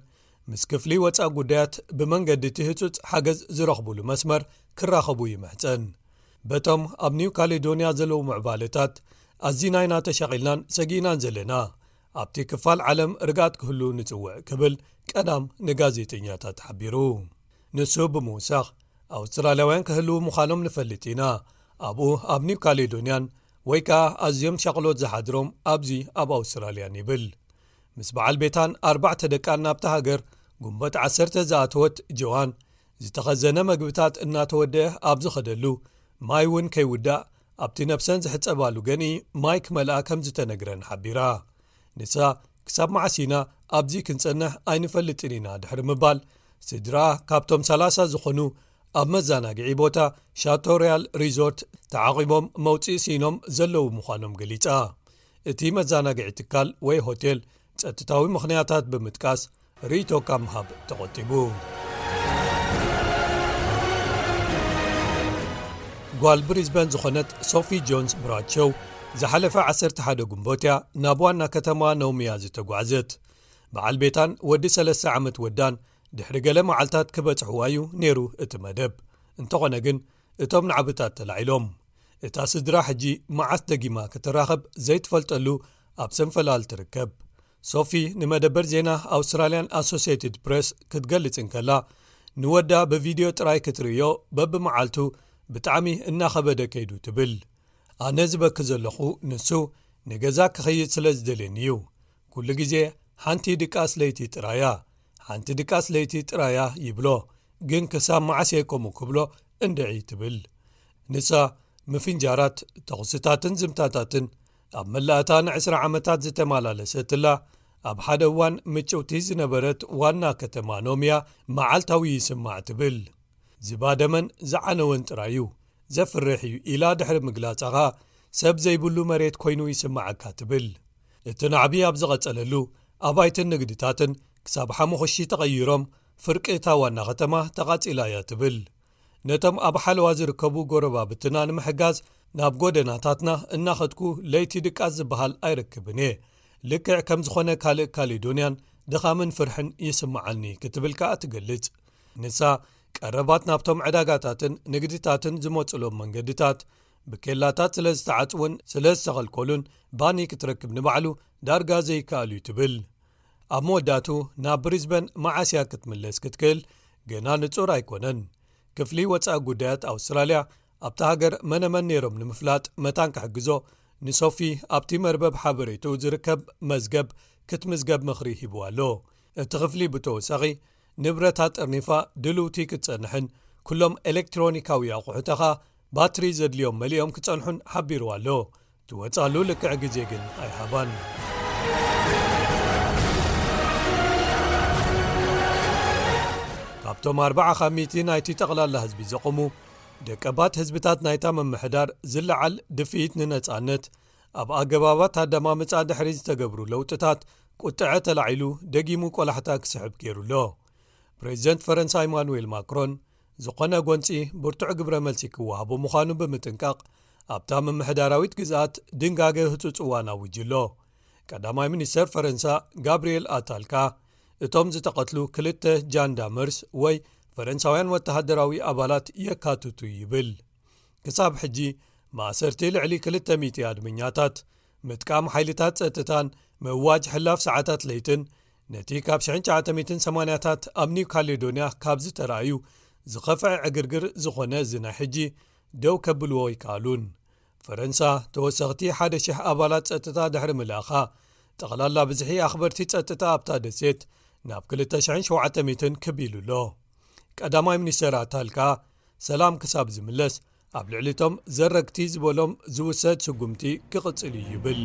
ምስ ክፍሊ ወጻኢ ጉዳያት ብመንገዲ እቲ ህጹጽ ሓገዝ ዝረኽቡሉ መስመር ክራኸቡ ይምሕጸን። በቶም ኣብ ኒው ካሌዶንያ ዘለዉ ምዕባለታት ኣዚና ኢና ተሻቒልናን ሰጊእናን ዘለና። ኣብቲ ክፋል ዓለም ርግኣት ክህሉ ንጽውዕ ክብል ቀዳም ንጋዜጠኛታት ሓቢሩ። ንሱ ብምውሳኽ ኣውስትራልያውያን ክህልዉ ምዃኖም ንፈልጥ ኢና። ኣብኡ ኣብ ኒው ካሌዶንያን ወይ ከኣ ኣዝዮም ሻቕሎት ዝሓድሮም ኣብዚ ኣብ ኣውስትራልያን ይብል። ምስ በዓል ቤታን ኣርባዕተ ደቃን ናብታ ሃገር ጉንበት ዓሰርተ ዝኣተወት ጆዋን ዝተኸዘነ መግብታት እናተወደአ ኣብ ዝኸደሉ ማይ እውን ከይውዳእ ኣብቲ ነብሰን ዝሕጸባሉ ገንኢ ማይ ክመልኣ ከም ዝተነግረን ሓቢራ። ንሳ ክሳብ መዓስ ኢና ኣብዚ ክንጸንሕ ኣይንፈልጥን ኢና ድሕሪ ምባል ስድራ ካብቶም ሰላሳ ዝኾኑ ኣብ መዘናግዒ ቦታ ሻቶ ሪያል ሪዞርት ተዓቒቦም መውፅኢ ስኢኖም ዘለዉ ምዃኖም ገሊጻ። እቲ መዘናግዒ ትካል ወይ ሆቴል ጸጥታዊ ምኽንያታት ብምጥቃስ ርእይቶ ካብ ምሃብ ተቖጢቡ። ጓል ብሪዝበን ዝኾነት ሶፊ ጆንስ ብራድሾው ዝሓለፈ ዓሰርተ ሓደ ግንቦት እያ ናብ ዋና ከተማ ኖሚያ ዝተጓዕዘት። በዓል ቤታን ወዲ ሰለስተ ዓመት ወዳን ድሕሪ ገለ መዓልታት ክበጽሕዋ እዩ ነይሩ እቲ መደብ። እንተኾነ ግን እቶም ናዕብታት ተላዒሎም። እታ ስድራ ሕጂ መዓስ ደጊማ ክትራኸብ ዘይትፈልጠሉ ኣብ ሰንፈላል ትርከብ። ሶፊ ንመደበር ዜና ኣውስትራልያን ኣሶሲየትድ ፕሬስ ክትገልጽ እንከላ፣ ንወዳ ብቪድዮ ጥራይ ክትርእዮ በብመዓልቱ ብጣዕሚ እናኸበደ ከይዱ ትብል። ኣነ ዝበኪ ዘለኹ ንሱ ንገዛ ክኸይድ ስለ ዝደልየኒ እዩ። ኩሉ ግዜ ሓንቲ ድቃስ ለይቲ ጥራያ፣ ሓንቲ ድቃስ ለይቲ ጥራያ ይብሎ። ግን ክሳብ መዓስ እየ ከምኡ ክብሎ እንድዒ ትብል። ንሳ ምፍንጃራት፣ ተኹስታትን ዝምታታትን ኣብ መላእታ ንዕስራ ዓመታት ዝተመላለሰትላ፣ ኣብ ሓደ እዋን ምጭውቲ ዝነበረት ዋና ከተማ ኖምያ መዓልታዊ ይስማዕ ትብል። ዝባደመን ዝዓነወን ጥራይ እዩ፣ ዘፍርሕ እዩ ኢላ ድሕሪ ምግላጻ ኸኣ፣ ሰብ ዘይብሉ መሬት ኮይኑ ይስምዓካ ትብል። እቲ ናዕቢ ኣብ ዝቐጸለሉ፣ ኣባይትን ንግድታትን ክሳብ ሓሙኽሺ ተቐይሮም፣ ፍርቂ እታ ዋና ከተማ ተቓጺላ እያ ትብል። ነቶም ኣብ ሓለዋ ዝርከቡ ጎረባብትና ንምሕጋዝ ናብ ጎደናታትና እናኸድኩ ለይቲ ድቃስ ዝበሃል ኣይረክብን እየ። ልክዕ ከም ዝኾነ ካልእ ካሌዶንያን ድኻምን ፍርሕን ይስምዓኒ ክትብል ከኣ ትገልጽ። ንሳ ቀረባት ናብቶም ዕዳጋታትን ንግድታትን ዝመጹሎም መንገድታት ብኬላታት ስለ ዝተዓጽውን ስለ ዝተኸልከሉን ባኒ ክትረክብ ንባዕሉ ዳርጋ ዘይከኣል እዩ ትብል። ኣብ መወዳእቱ ናብ ብሪዝበን መዓስ እያ ክትምለስ ክትክእል ገና ንጹር ኣይኮነን። ክፍሊ ወጻኢ ጉዳያት ኣውስትራልያ ኣብታ ሃገር መነመን ነይሮም ንምፍላጥ መታን ክሕግዞ ንሶፊ ኣብቲ መርበብ ሓበሬቱ ዝርከብ መዝገብ ክትምዝገብ ምኽሪ ሂቡ ኣሎ። እቲ ክፍሊ ብተወሳኺ ንብረታ ጠርኒፋ ድልውቲ ክትጸንሕን ኩሎም ኤሌክትሮኒካዊ ኣቑሑተኻ ባትሪ ዘድልዮም መሊኦም ክጸንሑን ሓቢሩ ኣሎ። ትወጻሉ ልክዕ ግዜ ግን ኣይሃባን። ካብቶም ኣርባዓ ካብ ሚእቲ ናይቲ ጠቕላላ ህዝቢ ዘቑሙ ደቀባት ህዝብታት ናይታ ምምሕዳር ዝለዓል ድፍኢት ንነጻነት ኣብ ኣገባባት ኣደማምጻ ድሕሪ ዝተገብሩ ለውጥታት ቁጥዐ ተላዒሉ ደጊሙ ቆላሕታ ክስሕብ ገይሩ ኣሎ። ፕሬዚደንት ፈረንሳ ኢማኑኤል ማክሮን ዝኾነ ጎንጺ ብርቱዕ ግብረ መልሲ ክወሃቦ ምዃኑ ብምጥንቃቕ ኣብታ ምምሕዳራዊት ግዝኣት ድንጋገ ህጹጽ እዋን ኣዊጁ ኣሎ። ቀዳማይ ሚኒስተር ፈረንሳ ጋብርኤል ኣታልካ እቶም ዝተቐትሉ ክልተ ጃንዳመርስ ወይ ፈረንሳውያን ወተሃደራዊ ኣባላት የካትቱ ይብል። ክሳብ ሕጂ ማእሰርቲ ልዕሊ ክልተ ሚእቲ ኣድመኛታት፣ ምጥቃም ሓይልታት ጸጥታን ምእዋጅ ሕላፍ ሰዓታት ለይትን ነቲ ካብ ሽሕን ትሽዓተ ሚእትን ሰማንያታት ኣብ ኒው ካሌዶንያ ካብ ዝተራእዩ ዝኸፍዐ ዕግርግር ዝኾነ እዚ ናይ ሕጂ ደው ከብልዎ ኣይከኣሉን። ፈረንሳ ተወሰኽቲ ሓደ ሽሕ ኣባላት ጸጥታ ድሕሪ ምልኣኻ፣ ጠቕላላ ብዝሒ ኣኽበርቲ ጸጥታ ኣብታ ደሴት ናብ ክልተ ሽሕን ሸውዓተ ሚእትን ክብ ኢሉ ኣሎ። ቀዳማይ ሚኒስተር ኣታል ከኣ ሰላም ክሳብ ዝምለስ ኣብ ልዕሊቶም ዘረግቲ ዝበሎም ዝውሰድ ስጉምቲ ክቕጽል እዩ ይብል።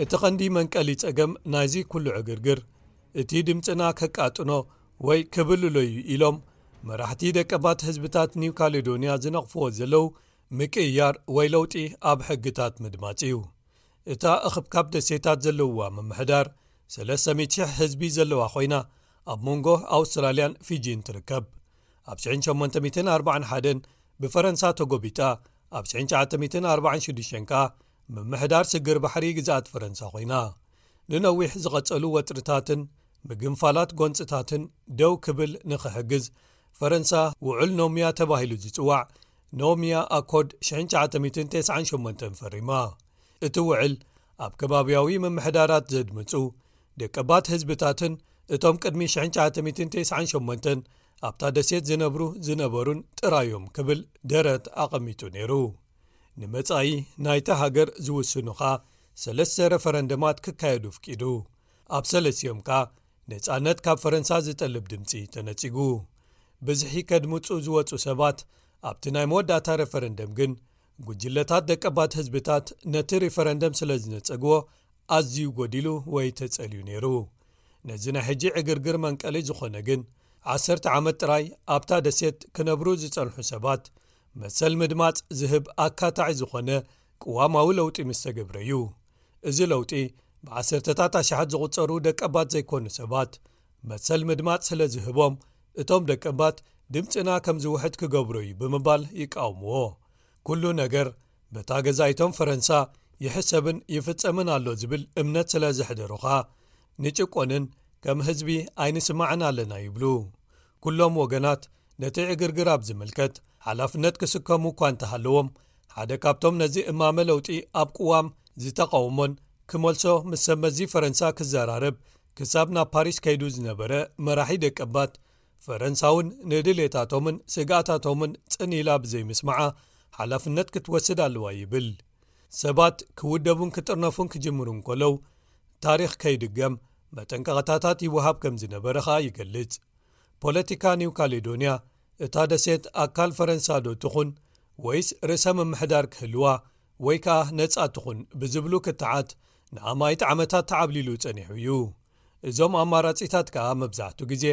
እቲ ቀንዲ መንቀሊ ጸገም ናይዚ ኩሉ ዕግርግር፣ እቲ ድምጽና ከቃጥኖ ወይ ክብልሎ እዩ ኢሎም መራሕቲ ደቀባት ህዝብታት ኒው ካሌዶንያ ዝነቕፍዎ ዘለዉ ምቅይያር ወይ ለውጢ ኣብ ሕግታት ምድማጽ እዩ። እታ እኽብካብ ደሴታት ዘለዋ ምምሕዳር ሰለስተ ሚእቲ ሽሕ ህዝቢ ዘለዋ ኮይና፣ ኣብ መንጎ ኣውስትራልያን ፊጂን ትርከብ። ኣብ ሽሕን ሸሞንተ ሚእትን ኣርባዓን ሓደን ብፈረንሳ ተጎቢጣ፣ ኣብ ሽሕን ትሽዓተ ሚእትን ኣርባዓን ሽዱሽተን ከኣ ምምሕዳር ስግር ባሕሪ ግዝኣት ፈረንሳ ኮይና። ንነዊሕ ዝቐጸሉ ወጥርታትን ምግንፋላት ጎንጽታትን ደው ክብል ንኽሕግዝ፣ ፈረንሳ ውዑል ኖሚያ ተባሂሉ ዝጽዋዕ ኖሚያ ኣኮርድ ሽሕን ትሽዓተ ሚእትን ተስዓን ሸሞንተን ፈሪማ። እቲ ውዕል ኣብ ከባብያዊ ምምሕዳራት ዘድምጹ ደቀባት ህዝብታትን እቶም ቅድሚ ሽሕን ትሽዓተ ሚእትን ተስዓን ሸሞንተን ኣብታ ደሴት ዝነብሩ ዝነበሩን ጥራዮም ክብል ደረት ኣቐሚጡ ነይሩ። ንመጻኢ ናይታ ሃገር ዝውስኑ ኸኣ ሰለስተ ረፈረንደማት ክካየዱ ኣፍቂዱ። ኣብ ሰለስቲኦም ከኣ ነጻነት ካብ ፈረንሳ ዝጠልብ ድምጺ ተነጺጉ። ብዝሒ ከድምጹ ዝወጹ ሰባት ኣብቲ ናይ መወዳእታ ረፈረንደም ግን፣ ጉጅለታት ደቀባት ህዝብታት ነቲ ሪፈረንደም ስለ ዝነጸግዎ ኣዝዩ ጎዲሉ ወይ ተጸልዩ ነይሩ። ነዚ ናይ ሕጂ ዕግርግር መንቀሊ ዝኾነ ግን፣ ዓሰርተ ዓመት ጥራይ ኣብታ ደሴት ክነብሩ ዝጸንሑ ሰባት መሰል ምድማጽ ዝህብ ኣካታዒ ዝኾነ ቅዋማዊ ለውጢ ምስ ተገብረ እዩ። እዚ ለውጢ ብዓሰርተታት ኣሽሓት ዝቑጸሩ ደቀባት ዘይኮኑ ሰባት መሰል ምድማጽ ስለ ዝህቦም፣ እቶም ደቀባት ድምጽና ከም ዝውሕድ ክገብሮ እዩ ብምባል ይቃወምዎ። ኩሉ ነገር በታ ገዛኢቶም ፈረንሳ ይሕሰብን ይፍጸምን ኣሎ ዝብል እምነት ስለ ዘሕደሩ ኸኣ፣ ንጭቆንን ከም ህዝቢ ኣይንስማዕን ኣለና ይብሉ። ኩሎም ወገናት ነቲ ዕግርግር ኣብ ዝምልከት ሓላፍነት ክስከሙ እኳ እንተሃለዎም፣ ሓደ ካብቶም ነዚ እማመ ለውጢ ኣብ ቅዋም ዝተቓወሞን ክመልሶ ምስ ሰብ መዚ ፈረንሳ ክዘራረብ ክሳብ ናብ ፓሪስ ከይዱ ዝነበረ መራሒ ደቀባት፣ ፈረንሳ እውን ንድሌታቶምን ስግኣታቶምን ጽን ኢላ ብዘይምስማዓ ሓላፍነት ክትወስድ ኣለዋ ይብል። ሰባት ክውደቡን ክጥርነፉን ክጅምሩ እንከለዉ፣ ታሪኽ ከይድገም መጠንቀቕታታት ይወሃብ ከም ዝነበረ ኸኣ ይገልጽ። ፖለቲካ ኒው ካሌዶንያ፣ እታ ደሴት ኣካል ፈረንሳ ዶ ትኹን ወይስ ርእሰ ምምሕዳር ክህልዋ ወይ ከኣ ነጻ ትኹን ብዝብሉ ክትዓት ንኣማኢት ዓመታት ተዓብሊሉ ጸኒሑ እዩ። እዞም ኣማራጺታት ከኣ መብዛሕቱ ግዜ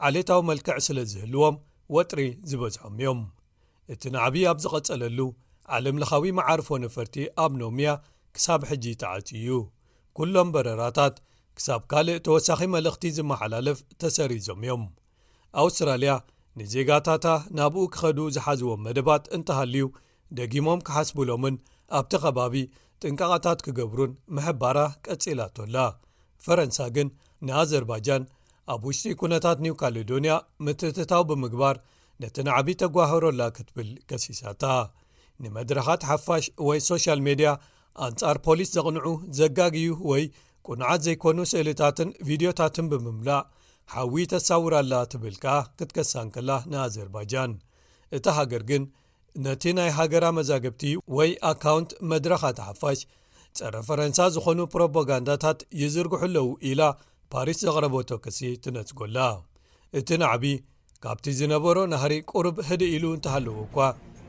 ዓሌታዊ መልክዕ ስለ ዝህልዎም ወጥሪ ዝበዝሖም እዮም። እቲ ናዕቢ ኣብ ዝቐጸለሉ፣ ዓለምለኻዊ መዓርፎ ነፈርቲ ኣብ ኖሚያ ክሳብ ሕጂ ተዓጽዩ እዩ። ኩሎም በረራታት ክሳብ ካልእ ተወሳኺ መልእኽቲ ዝመሓላለፍ ተሰሪዞም እዮም። ኣውስትራልያ ንዜጋታታ ናብኡ ክኸዱ ዝሓዝዎም መደባት እንተሃልዩ ደጊሞም ክሓስቡሎምን ኣብቲ ከባቢ ጥንቃቐታት ክገብሩን ምሕባራ ቀጺላቶ ኣላ። ፈረንሳ ግን ንኣዘርባጃን ኣብ ውሽጢ ኩነታት ኒው ካሌዶንያ ምትእትታው ብምግባር ነቲ ናዕቢ ተጓህሮላ ክትብል ከሲሳታ። ንመድረኻት ሓፋሽ ወይ ሶሻል ሜድያ ኣንጻር ፖሊስ ዘቕንዑ፣ ዘጋግዩ ወይ ቁኑዓት ዘይኮኑ ስእልታትን ቪድዮታትን ብምምላእ ሓዊ ተሳውር ኣላ ትብል ከኣ ክትከሳ እንከላ ንኣዘርባጃን። እታ ሃገር ግን ነቲ ናይ ሃገራ መዛግብቲ ወይ ኣካውንት መድረኻት ሓፋሽ ጸረ ፈረንሳ ዝኾኑ ፕሮፓጋንዳታት ይዝርግሑ ኣለዉ ኢላ ፓሪስ ዘቕረበቶ ክሲ ትነጽጎላ። እቲ ናዕቢ ካብቲ ዝነበሮ ናህሪ ቁሩብ ህድእ ኢሉ እንተሃለወ እኳ፣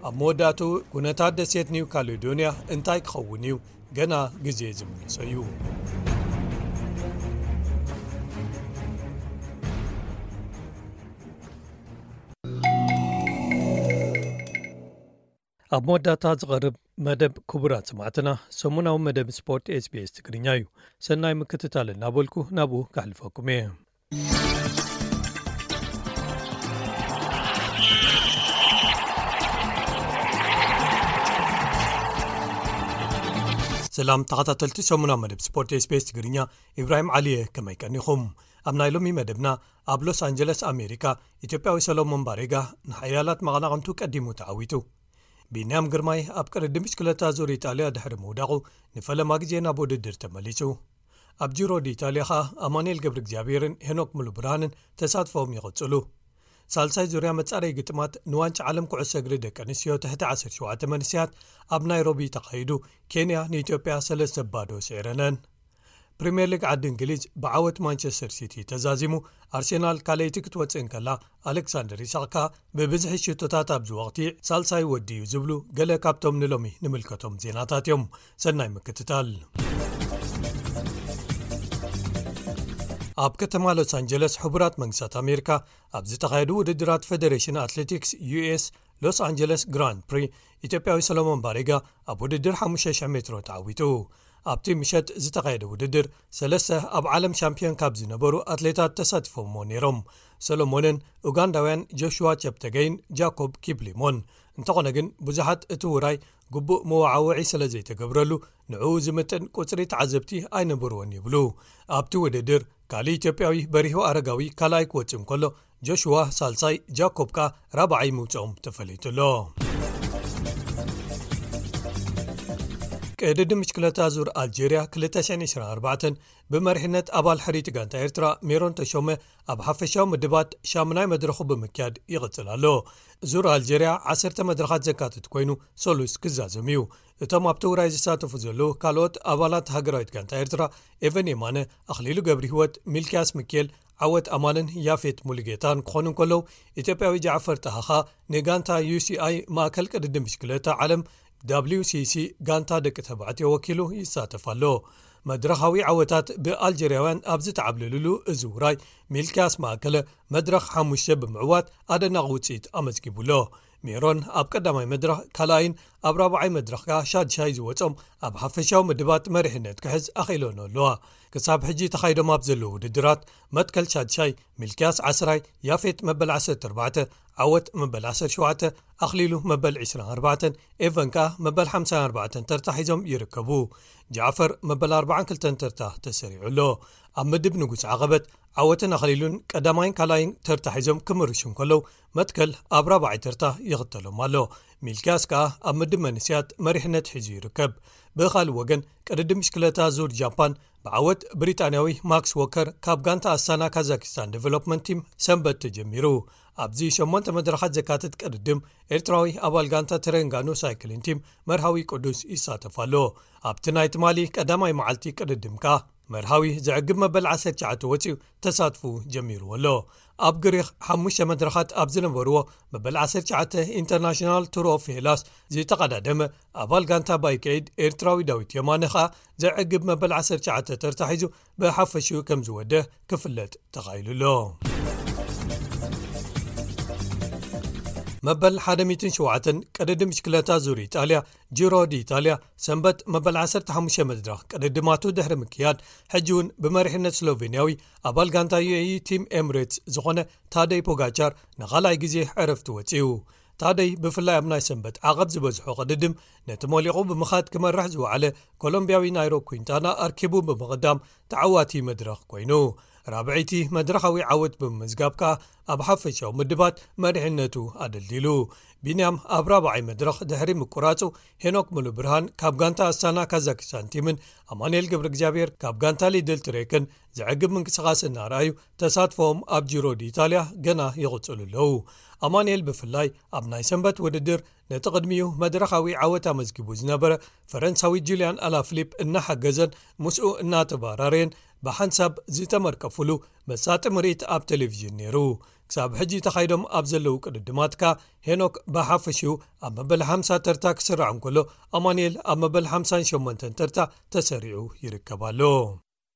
ኣብ መወዳእትኡ ኩነታት ደሴት ኒው ካሌዶንያ እንታይ ክኸውን እዩ ገና ግዜ ዝምልሶ እዩ። ኣብ መወዳእታ ዝቐርብ መደብ ክቡራት ሰማዕትና ሰሙናዊ መደብ ስፖርት ኤስቢኤስ ትግርኛ እዩ። ሰናይ ምክትታል እናበልኩ ናብኡ ከሕልፈኩም እየ። ሰላም ተኸታተልቲ ሰሙናዊ መደብ ስፖርት ኤስቢኤስ ትግርኛ፣ ኢብራሂም ዓሊየ፣ ከመይ ቀኒኹም? ኣብ ናይ ሎሚ መደብና፣ ኣብ ሎስ ኣንጀለስ ኣሜሪካ ኢትዮጵያዊ ሰሎሞን ባሬጋ ንሓያላት መቐናቕንቱ ቀዲሙ ተዓዊቱ። ቢንያም ግርማይ ኣብ ቅድድም ብሽክለታ ዙር ኢጣልያ ድሕሪ ምውዳቑ ንፈለማ ግዜ ናብ ውድድር ተመሊሱ። ኣብ ጂሮ ዲ ኢጣልያ ኸኣ ኣማኑኤል ገብረ እግዚኣብሔርን ሄኖክ ሙሉብርሃንን ተሳትፎም ይቕጽሉ። ሳልሳይ ዙርያ መጻረይ ግጥማት ንዋንጫ ዓለም ኩዕሶ እግሪ ደቂ ኣንስትዮ ትሕቲ ዓሰርተ ሸውዓተ መንእሰያት ኣብ ናይሮቢ ተኻይዱ፣ ኬንያ ንኢትዮጵያ ሰለስተ ባዶ ስዒረነን። ፕሪምየር ሊግ ዓዲ እንግሊዝ ብዓወት ማንቸስተር ሲቲ ተዛዚሙ፣ ኣርሴናል ካልኣይቲ ክትወጽእ እንከላ፣ ኣሌክሳንደር ኢሳቕ ከኣ ብብዝሒ ሽቶታት ኣብዚ ወቕቲ ሳልሳይ ወዲ እዩ ዝብሉ ገለ ካብቶም ንሎሚ ንምልከቶም ዜናታት እዮም። ሰናይ ምክትታል። ኣብ ከተማ ሎስ ኣንጀለስ ሕቡራት መንግስታት ኣሜሪካ ኣብ ዝተኻየዱ ውድድራት ፌደሬሽን ኣትሌቲክስ ዩኤስ ሎስ ኣንጀለስ ግራንድ ፕሪ፣ ኢትዮጵያዊ ሰሎሞን ባሬጋ ኣብ ውድድር ሓሙሽተ ሽሕ ሜትሮ ተዓዊቱ። ኣብቲ ምሸት ዝተኻየደ ውድድር፣ ሰለስተ ኣብ ዓለም ሻምፒዮን ካብ ዝነበሩ ኣትሌታት ተሳቲፎምዎ ነይሮም። ሰሎሞንን ኡጋንዳውያን ጆሽዋ ቸፕተገይን ጃኮብ ኪፕሊሞን። እንተኾነ ግን፣ ብዙሓት እቲ ውራይ ግቡእ መወዓውዒ ስለ ዘይተገብረሉ፣ ንዕኡ ዝምጥን ቁጽሪ ተዓዘብቲ ኣይነበርዎን ይብሉ። ኣብቲ ውድድር፣ ካልእ ኢትዮጵያዊ በሪሁ ኣረጋዊ ካልኣይ ክወጽእ እንከሎ፣ ጆሽዋ ሳልሳይ፣ ጃኮብ ከኣ ራብዓይ ምውጽኦም ተፈሊጡ ኣሎ። ቅድድም ብሽክለታ ዙር ኣልጀርያ ክልተ ሽሕን ዕስራን ኣርባዕተን ብመሪሕነት ኣባል ሕርይቲ ጋንታ ኤርትራ ሜሮን ተሾመ ኣብ ሓፈሻዊ ምድባት ሻሙናይ መድረኹ ብምክያድ ይቕጽል ኣሎ። ዙር ኣልጀርያ ዓሰርተ መድረኻት ዘካትት ኮይኑ፣ ሰሉስ ክዛዘም እዩ። እቶም ኣብቲ ውራይ ዝሳተፉ ዘለዉ ካልኦት ኣባላት ሃገራዊት ጋንታ ኤርትራ፣ ኤቨን የማነ፣ ኣኽሊሉ ገብርሂወት፣ ሚልክያስ ምክኤል፣ ዓወት ኣማንን ያፌት ሙሉጌታን ክኾኑ እንከለዉ፣ ኢትዮጵያዊ ጃዕፈር ጣሃ ኸኣ ንጋንታ ዩ ሲ ኣይ ማእከል ቅድድም ብሽክለታ ዓለም፣ ደብሊው ሲ ሲ፣ ጋንታ ደቂ ተባዕትዮ ወኪሉ ይሳተፍ ኣሎ። መድረኻዊ ዓወታት ብኣልጀርያውያን ኣብ ዝተዓብለሉሉ እዚ ውራይ፣ ሚልክያስ ማእከለ መድረኽ ሓሙሽተ ብምዕዋት ኣደናቒ ውጽኢት ኣመዝጊቡ ኣሎ። ሜሮን ኣብ ቀዳማይ መድረኽ ካልኣይን ኣብ ራብዓይ መድረኽ ከኣ ሻድሻይ ዝወጾም ኣብ ሓፈሻዊ ምድባት መሪሕነት ክሕዝ ኣኽኢሎን ኣለዋ። ክሳብ ሕጂ ተኻይዶም ኣብ ዘለዉ ውድድራት፣ መትከል ሻድሻይ ሚልክያስ ዓስራይ፣ ያፌት መበል ዓሰርተ ኣርባዕተ፣ ዓወት መበል ዓሰርተ ሸውዓተ፣ ኣኽሊሉ መበል ዕስራን ኣርባዕተን፣ ኤቨን ከኣ መበል ሓምሳን ኣርባዕተን ተርታ ሒዞም ይርከቡ። ጃዕፈር መበል ኣርባዓን ክልተን ተርታ ተሰሪዑ ኣሎ። ኣብ ምድብ ንጉስ ዓቐበት፣ ዓወትን ኣኽሊሉን ቀዳማይን ካልኣይን ተርታ ሒዞም ክምርሹ እንከለዉ፣ መትከል ኣብ ራብዓይ ተርታ ይኽተሎም ኣሎ። ሚልክያስ ከኣ ኣብ ምድብ መንእሰያት መሪሕነት ሒዙ ይርከብ። ብኻልእ ወገን፣ ቅድድም ብሽክለታ ዙር ጃፓን ብዓወት ብሪጣንያዊ ማክስ ዎከር ካብ ጋንታ ኣስታና ካዛኪስታን ዴቨሎፕመንት ቲም ሰንበት ተጀሚሩ። ኣብዚ ሸሞንተ መድረኻት ዘካትት ቅድድም፣ ኤርትራዊ ኣባል ጋንታ ተረንጋኑ ሳይክሊን ቲም መርሃዊ ቅዱስ ይሳተፍ ኣሎ። ኣብቲ ናይ ትማሊ ቀዳማይ መዓልቲ ቅድድም ከኣ፣ መርሃዊ ዘዕግብ መበል ዓሰርተ ትሽዓተ ወጺኡ ተሳትፉ ጀሚርዎ ኣሎ። ኣብ ግሪኽ ሓሙሽተ መድረኻት ኣብ ዝነበርዎ፣ መበል ዓሰርተ ትሽዓተ ኢንተርናሽናል ቱር ኦፍ ሄላስ ዝተቐዳደመ ኣባል ጋንታ ባይክ ኤድ ኤርትራዊ ዳዊት የማነ ኸኣ ዘዕግብ መበል ዓሰርተ ትሽዓተ ተርታ ሒዙ ብሓፈሽኡ ከም ዝወደ ክፍለጥ ተኻኢሉ ኣሎ። መበል ሓደ ሚእትን ሸውዓተን ቅድድም ብሽክለታ ዙር ኢጣልያ፣ ጂሮ ዲ ኢጣልያ፣ ሰንበት መበል ዓሰርተ ሓሙሽተ መድረኽ ቅድድማቱ ድሕሪ ምክያድ፣ ሕጂ እውን ብመሪሕነት ስሎቬንያዊ ኣባል ጋንታ ዩ ኤ ኢ ቲም ኤምሬትስ ዝኾነ ታደይ ፖጋቻር ንኻልኣይ ግዜ ዕረፍቲ ወጺኡ። ታደይ ብፍላይ ኣብ ናይ ሰንበት ዓቐብ ዝበዝሖ ቅድድም ነቲ ሞሊቑ ብምኻድ ክመርሕ ዝወዓለ ኮሎምብያዊ ናይሮ ኩንታና ኣርኪቡ ብምቕዳም ተዓዋቲ መድረኽ ኮይኑ። ራብዐይቲ መድረኻዊ ዓወት ብምምዝጋብ ከኣ ኣብ ሓፈሻዊ ምድባት መሪሕነቱ ኣደልዲሉ። ቢንያም ኣብ ራብዓይ መድረኽ ድሕሪ ምቁራጹ፣ ሄኖክ ሙሉ ብርሃን ካብ ጋንታ ኣስታና ካዛኪስታን ቲምን ኣማኑኤል ገብረ እግዚኣብሔር ካብ ጋንታ ሊድል ትሬክን ዘዕግብ ምንቅስቓስ እናረኣዩ፣ ተሳትፎኦም ኣብ ጂሮ ዲ ኢጣልያ ገና ይቕጽሉ ኣለዉ። ኣማኑኤል ብፍላይ ኣብ ናይ ሰንበት ውድድር ነቲ ቅድሚኡ መድረኻዊ ዓወት ኣመዝጊቡ ዝነበረ ፈረንሳዊ ጁልያን ኣላፍሊፕ እናሓገዘን ምስኡ እናተባራረየን ብሓንሳብ ዝተመርቀፍሉ መሳጢ ምርኢት ኣብ ቴሌቪዥን ነይሩ። ክሳብ ሕጂ ተኻይዶም ኣብ ዘለዉ ቅድድማት ከኣ ሄኖክ ብሓፈሽኡ ኣብ መበል ሓምሳ ተርታ ክስራዕ እንከሎ፣ ኣማኑኤል ኣብ መበል ሓምሳን ሸሞንተን ተርታ ተሰሪዑ ይርከብ ኣሎ።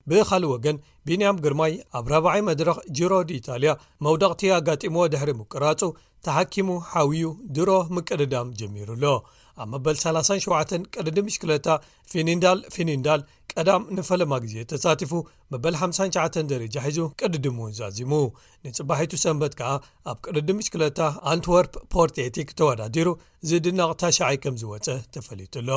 ብኻልእ ወገን፣ ቢንያም ግርማይ ኣብ ራብዓይ መድረኽ ጂሮ ዲ ኢጣልያ መውደቕቲ ኣጋጢምዎ ድሕሪ ምቁራጹ፣ ተሓኪሙ ሓውዩ ድሮ ምቅድዳም ጀሚሩ ኣሎ። ኣብ መበል ሰላሳን ሸውዓተን ቅድድም ብሽክለታ ፊኒንዳል ፊኒንዳል ቀዳም ንፈለማ ግዜ ተሳቲፉ፣ መበል ሓምሳን ትሽዓተን ደረጃ ሒዙ ቅድድሙ ዛዚሙ። ንጽባሒቱ ሰንበት ከኣ ኣብ ቅድድም ብሽክለታ ኣንትወርፕ ፖርት ኤቲክ ተወዳዲሩ ዝድነቕ ታሽዓይ ከም ዝወጸ ተፈሊጡ ኣሎ።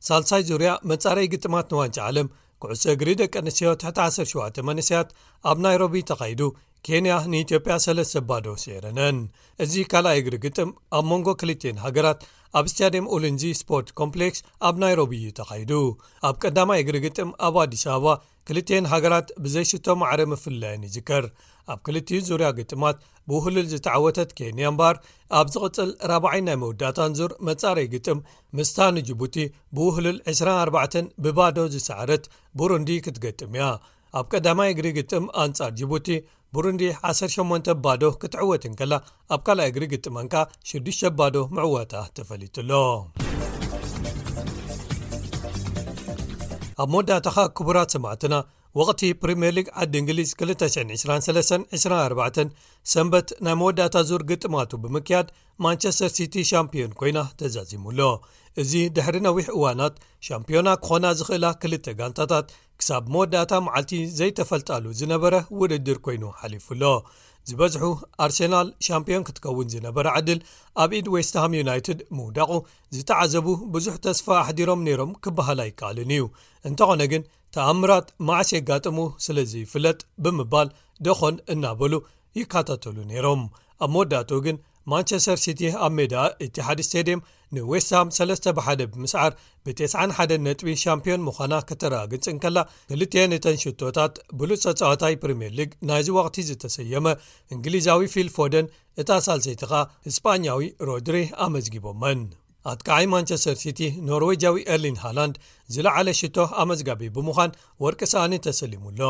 ሳልሳይ ዙርያ መጻረይ ግጥማት ንዋንጫ ዓለም ኩዕሶ እግሪ ደቂ ኣንስትዮ ትሕቲ ዓሰርተ ሸውዓተ መንእሰያት ኣብ ናይሮቢ ተኻይዱ፣ ኬንያ ንኢትዮጵያ ሰለስተ ባዶ ስዒረነን። እዚ ካልኣይ እግሪ ግጥም ኣብ መንጎ ክልቲኤን ሃገራት ኣብ ስታድየም ኡሊንዚ ስፖርት ኮምፕሌክስ ኣብ ናይሮቢ እዩ ተኻይዱ። ኣብ ቀዳማይ እግሪ ግጥም ኣብ ኣዲስ ኣበባ ክልቲኤን ሃገራት ብዘይሽቶ ማዕረ ምፍልላየን ይዝከር። ኣብ ክልቲኡ ዙርያ ግጥማት ብውህሉል ዝተዓወተት ኬንያ እምበኣር፣ ኣብ ዝቕጽል ራብዓይ ናይ መወዳእታን ዙር መጻረይ ግጥም ምስታ ንጅቡቲ ብውህሉል ዕስራን ኣርባዕተን ብባዶ ዝሰዓረት ቡሩንዲ ክትገጥም እያ። ኣብ ቀዳማይ እግሪ ግጥም ኣንጻር ጅቡቲ፣ ቡሩንዲ ዓሰርተ ሸሞንተ ባዶ ክትዕወት እንከላ፣ ኣብ ካልኣይ እግሪ ግጥመን ከኣ ሽዱሽተ ባዶ ምዕዋታ ተፈሊጡ ኣሎ። ኣብ መወዳእታ ከኣ ክቡራት ሰማዕትና፣ ወቕቲ ፕሪምየር ሊግ ዓዲ እንግሊዝ ክልተ ሽሕን ዕስራን ሰለስተን ዕስራን ኣርባዕተን ሰንበት ናይ መወዳእታ ዙር ግጥማቱ ብምክያድ፣ ማንቸስተር ሲቲ ሻምፒዮን ኮይና ተዛዚሙ ኣሎ። እዚ ድሕሪ ነዊሕ እዋናት ሻምፒዮና ክኾና ዝኽእላ ክልተ ጋንታታት ክሳብ መወዳእታ መዓልቲ ዘይተፈልጣሉ ዝነበረ ውድድር ኮይኑ ሓሊፉ ኣሎ። ዝበዝሑ ኣርሴናል ሻምፒዮን ክትከውን ዝነበረ ዕድል ኣብ ኢድ ዌስትሃም ዩናይትድ ምውዳቑ ዝተዓዘቡ ብዙሕ ተስፋ ኣሕዲሮም ነይሮም ክበሃል ኣይከኣልን እዩ። እንተኾነ ግን ተኣምራት መዓስ የጋጥሙ ስለ ዘይፍለጥ ብምባል ደኾን እናበሉ ይከታተሉ ነይሮም። ኣብ መወዳእትኡ ግን ማንቸስተር ሲቲ ኣብ ሜዳ ኢቲሓድ ስቴድየም ንዌስትሃም ሰለስተ ብሓደ ብምስዓር ብተስዓን ሓደን ነጥቢ ሻምፒዮን ምዃና ከተረጋግጽ እንከላ፣ ክልቲኤን እተን ሽቶታት ብሉጽ ተጻዋታይ ፕሪምየር ሊግ ናይዚ ወቕቲ ዝተሰየመ እንግሊዛዊ ፊል ፎደን፣ እታ ሳልሰይቲ ኸኣ ስጳኛዊ ሮድሪ ኣመዝጊቦመን። ኣጥቃዓይ ማንቸስተር ሲቲ ኖርዌጃዊ ኤርሊን ሃላንድ ዝለዓለ ሽቶ ኣመዝጋቢ ብምዃን ወርቂ ሳእኒ ተሰሊሙ ኣሎ።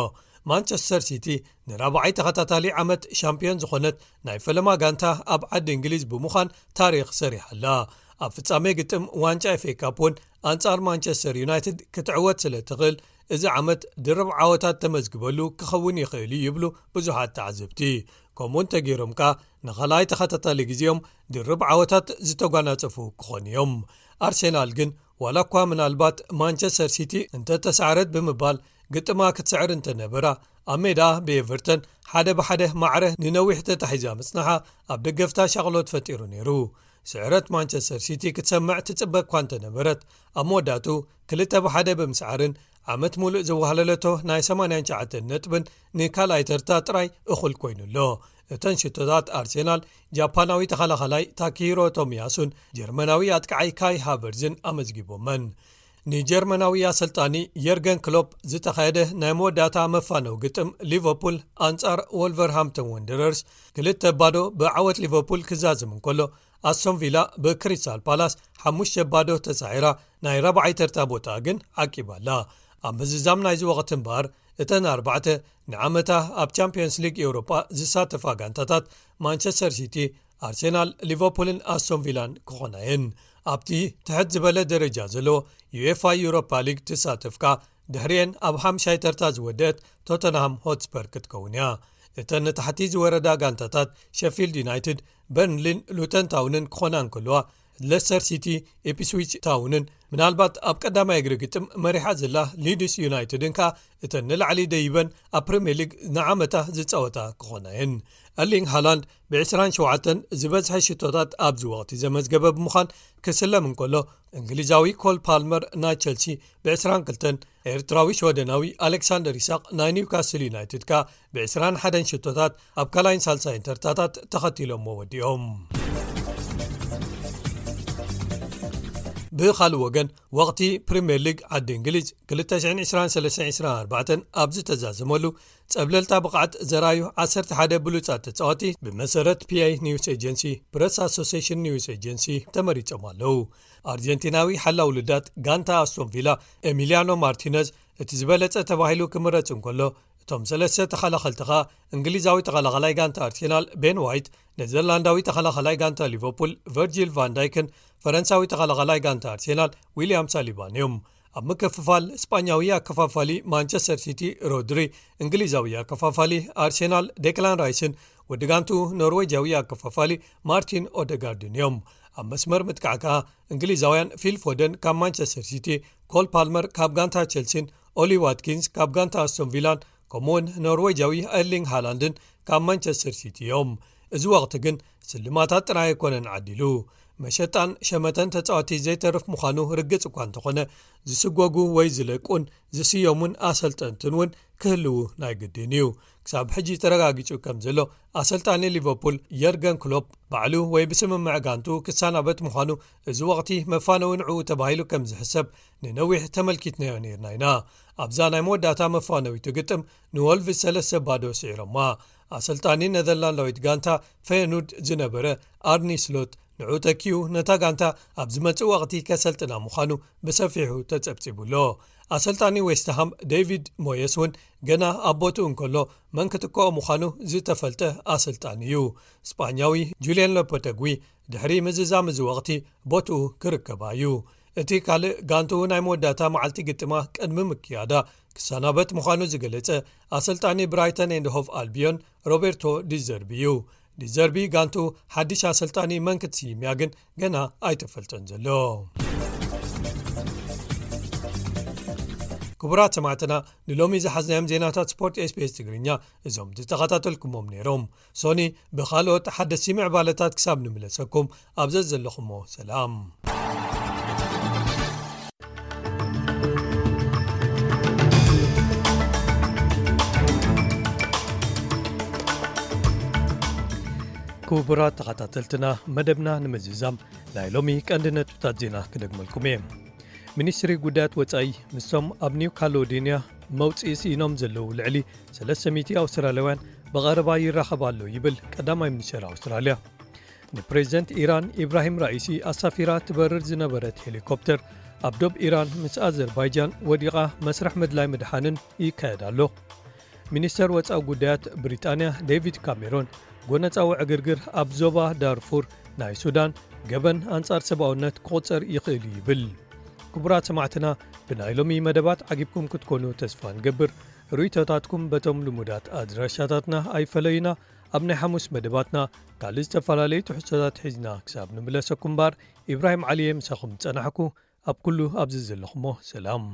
ማንቸስተር ሲቲ ንራብዓይ ተኸታታሊ ዓመት ሻምፒዮን ዝኾነት ናይ ፈለማ ጋንታ ኣብ ዓዲ እንግሊዝ ብምዃን ታሪኽ ሰሪሓ ኣላ። ኣብ ፍጻሜ ግጥም ዋንጫ ኤፍ ኤ ካፕ እውን ኣንጻር ማንቸስተር ዩናይትድ ክትዕወት ስለ ትኽእል፣ እዚ ዓመት ድርብ ዓወታት ተመዝግበሉ ክኸውን ይኽእል እዩ ይብሉ ብዙሓት ተዓዘብቲ። ከምኡ እንተገይሮም ከኣ ንኻልኣይ ተኸታታሊ ግዜኦም ድርብ ዓወታት ዝተጓናጸፉ ክኾኑ እዮም። ኣርሴናል ግን ዋላ እኳ ምናልባት ማንቸስተር ሲቲ እንተተሳዕረት ብምባል ግጥማ ክትስዕር እንተነበራ፣ ኣብ ሜዳ ብኤቨርተን ሓደ ብሓደ ማዕረ ንነዊሕ ተታሒዛ ምጽናሓ ኣብ ደገፍታ ሻቕሎት ፈጢሩ ነይሩ። ስዕረት ማንቸስተር ሲቲ ክትሰምዕ ትጽበ እኳ እንተነበረት፣ ኣብ መወዳእቱ ክልተ ብሓደ ብምስዓርን ዓመት ሙሉእ ዘዋህለለቶ ናይ ሰማንያን ትሽዓተን ነጥብን ንካልኣይ ተርታ ጥራይ እኹል ኮይኑ ኣሎ። እተን ሽቶታት ኣርሴናል፣ ጃፓናዊ ተኸላኻላይ ታኪሂሮ ቶሚያሱን ጀርመናዊ ኣጥቃዓይ ካይ ሃቨርዝን ኣመዝጊቦመን። ንጀርመናዊ ኣሰልጣኒ የርገን ክሎፕ ዝተኻየደ ናይ መወዳእታ መፋነው ግጥም ሊቨርፑል ኣንጻር ወልቨርሃምፕተን ወንደረርስ ክልተ ባዶ ብዓወት ሊቨርፑል ክዛዝም እንከሎ፣ ኣስቶን ቪላ ብክሪስታል ፓላስ ሓሙሽተ ባዶ ተሳዒራ ናይ ራብዓይ ተርታ ቦታ ግን ዓቂባ ኣላ። ኣብ ምዝዛም ናይዚ ወቕቲ እምበኣር፣ እተን ኣርባዕተ ንዓመታ ኣብ ቻምፕዮንስ ሊግ ኤውሮጳ ዝሳተፋ ጋንታታት ማንቸስተር ሲቲ፣ ኣርሴናል፣ ሊቨርፑልን ኣስቶን ቪላን ክኾና እየን። ኣብቲ ትሕት ዝበለ ደረጃ ዘለዎ ዩኤፋ ዩሮፓ ሊግ ትሳተፍ ከኣ ድሕሪኤን ኣብ ሓምሻይ ተርታ ዝወደአት ቶተንሃም ሆትስፐር ክትከውን እያ። እተን ንታሕቲ ዝወረዳ ጋንታታት ሸፊልድ ዩናይትድ፣ በርንሊን ሉተን ታውንን ክኾና እንከለዋ፣ ለስተር ሲቲ፣ ኢፕስዊች ታውንን ምናልባት ኣብ ቀዳማይ እግሪ ግጥም መሪሓ ዘላ ሊድስ ዩናይትድን ከኣ እተን ንላዕሊ ደይበን ኣብ ፕሪምየር ሊግ ንዓመታ ዝጻወታ ክኾና እየን። ኤርሊንግ ሃላንድ ብ27 ዝበዝሐ ሽቶታት ኣብዚ ወቕቲ ዘመዝገበ ብምዃን ክስለም እንከሎ፣ እንግሊዛዊ ኮል ፓልመር ናይ ቸልሲ ብ22፣ ኤርትራዊ ሽወደናዊ ኣሌክሳንደር ይስሐቅ ናይ ኒውካስል ዩናይትድ ከኣ ብ21 ሽቶታት ኣብ ካልኣይን ሳልሳይን ተርታታት ተኸቲሎሞ ወዲኦም። ብኻልእ ወገን፣ ወቕቲ ፕሪምየር ሊግ ዓዲ እንግሊዝ ክልተ ሽሕን ዕስራን ሰለስተን ዕስራን ኣርባዕተን ኣብ ዝተዛዘመሉ፣ ጸብለልታ ብቕዓት ዘራዩ ዓሰርተ ሓደ ብሉጻት ተጻወቲ፣ ብመሰረት ፒ ኤ ኒውስ ኤጀንሲ፣ ፕረስ ኣሶሲሽን ኒውስ ኤጀንሲ፣ ተመሪጾም ኣለዉ። ኣርጀንቲናዊ ሓላው ልዳት ጋንታ ኣስቶን ቪላ፣ ኤሚሊያኖ ማርቲነዝ፣ እቲ ዝበለጸ ተባሂሉ ክምረጽ እንከሎ፣ እቶም ሰለስተ ተኸላኸልቲ ኸኣ፣ እንግሊዛዊ ተኸላኸላይ ጋንታ ኣርሴናል ቤን ዋይት፣ ኔዘርላንዳዊ ተኸላኸላይ ጋንታ ሊቨርፑል ቨርጂል ቫን ዳይክን ፈረንሳዊ ተኸላኸላይ ጋንታ ኣርሴናል ዊልያም ሳሊባን እዮም። ኣብ ምክፍፋል፣ ስጳኛዊ ኣከፋፋሊ ማንቸስተር ሲቲ ሮድሪ፣ እንግሊዛዊ ኣከፋፋሊ ኣርሴናል ዴክላን ራይስን ወዲ ጋንቱ ኖርዌጃዊ ኣከፋፋሊ ማርቲን ኦደጋርድን እዮም። ኣብ መስመር ምጥቃዕ ከኣ፣ እንግሊዛውያን ፊል ፎደን ካብ ማንቸስተር ሲቲ፣ ኮል ፓልመር ካብ ጋንታ ቸልሲን ኦሊ ዋትኪንስ ካብ ጋንታ ኣስቶን ቪላን፣ ከምኡውን ኖርዌጃዊ ኤርሊንግ ሃላንድን ካብ ማንቸስተር ሲቲ እዮም። እዚ ወቕቲ ግን ስልማታት ጥራይ ኣይኮነን ዓዲሉ። መሸጣን ሸመተን ተጻወቲ ዘይተርፍ ምዃኑ ርግጽ እኳ እንተኾነ፣ ዝስጎጉ ወይ ዝለቁን ዝስየሙን ኣሰልጠንትን እውን ክህልዉ ናይ ግድን እዩ። ክሳብ ሕጂ ተረጋጊጹ ከም ዘሎ፣ ኣሰልጣኒ ሊቨርፑል የርገን ክሎፕ ባዕሉ ወይ ብስምምዕ ጋንቱ ክሰናበት ምዃኑ፣ እዚ ወቕቲ መፋነዊ ንዕኡ ተባሂሉ ከም ዝሕሰብ ንነዊሕ ተመልኪትናዮ ነይርና ኢና። ኣብዛ ናይ መወዳእታ መፋነዊት ግጥም ንወልቭስ ሰለስተ ባዶ ስዒሮማ። ኣሰልጣኒ ነዘርላንዳዊት ጋንታ ፈየኑድ ዝነበረ ኣርኒ ስሎት ንዕኡ ተኪኡ ነታ ጋንታ ኣብ ዝመጽእ ወቕቲ ከሰልጥና ምዃኑ ብሰፊሑ ተጸብጺቡ ኣሎ። ኣሰልጣኒ ዌስትሃም ዴቪድ ሞየስ እውን ገና ኣብ ቦትኡ እንከሎ መን ክትክኦ ምዃኑ ዝተፈልጠ ኣሰልጣኒ እዩ። ስጳኛዊ ጁልየን ሎፖተግዊ ድሕሪ ምዝዛም እዚ ወቕቲ ቦትኡ ክርከባ እዩ። እቲ ካልእ ጋንትኡ ናይ መወዳእታ መዓልቲ ግጥማ ቅድሚ ምክያዳ ክሰናበት ምዃኑ ዝገለጸ ኣሰልጣኒ ብራይተን ኤንድ ሆቭ ኣልቢዮን ሮቤርቶ ዲዘርቢ እዩ። ዲዘርቢ ጋንትኡ ሓድሽ ኣሰልጣኒ መን ክትስይም እያ ግን ገና ኣይተፈልጠን ዘሎ። ክቡራት ሰማዕትና፣ ንሎሚ ዝሓዝናዮም ዜናታት ስፖርት ኤስቢኤስ ትግርኛ እዞም ዝተኸታተልኩሞም ነይሮም። ሶኒ ብኻልኦት ሓደስቲ ምዕባለታት ክሳብ ንምለሰኩም፣ ኣብ ዘዘለኹሞ ሰላም። ክቡራት ተኸታተልትና፣ መደብና ንምዝዛም ናይ ሎሚ ቀንዲ ነጥብታት ዜና ክደግመልኩም እየ። ሚኒስትሪ ጉዳያት ወጻኢ ምስቶም ኣብ ኒው ካሎዲንያ መውጽኢ ስኢኖም ዘለዉ ልዕሊ ሰለስተ ሚእቲ ኣውስትራልያውያን ብቐረባ ይራኸብ ኣሎ ይብል ቀዳማይ ሚኒስትር ኣውስትራልያ። ንፕሬዚደንት ኢራን ኢብራሂም ራኢሲ ኣሳፊራ ትበርር ዝነበረት ሄሊኮፕተር ኣብ ዶብ ኢራን ምስ ኣዘርባይጃን ወዲቓ መስርሕ ምድላይ ምድሓንን ይካየድ ኣሎ። ሚኒስተር ወጻኢ ጉዳያት ብሪጣንያ ዴቪድ ካሜሮን ጎነጻዊ ዕግርግር ኣብ ዞባ ዳርፉር ናይ ሱዳን ገበን ኣንጻር ሰብኣውነት ክቑጸር ይኽእል እዩ ይብል። ክቡራት ሰማዕትና፣ ብናይ ሎሚ መደባት ዓጊብኩም ክትኮኑ ተስፋ ንገብር። ርእይቶታትኩም በቶም ልሙዳት ኣድራሻታትና ኣይፈለዩና። ኣብ ናይ ሓሙስ መደባትና ካልእ ዝተፈላለዩ ትሕዝቶታት ሒዝና ክሳብ ንምለሰኩም እምበር፣ ኢብራሂም ዓሊ እየ ምሳኹም ዝጸናሕኩ። ኣብ ኩሉ ኣብዚ ዘለኹሞ ሰላም።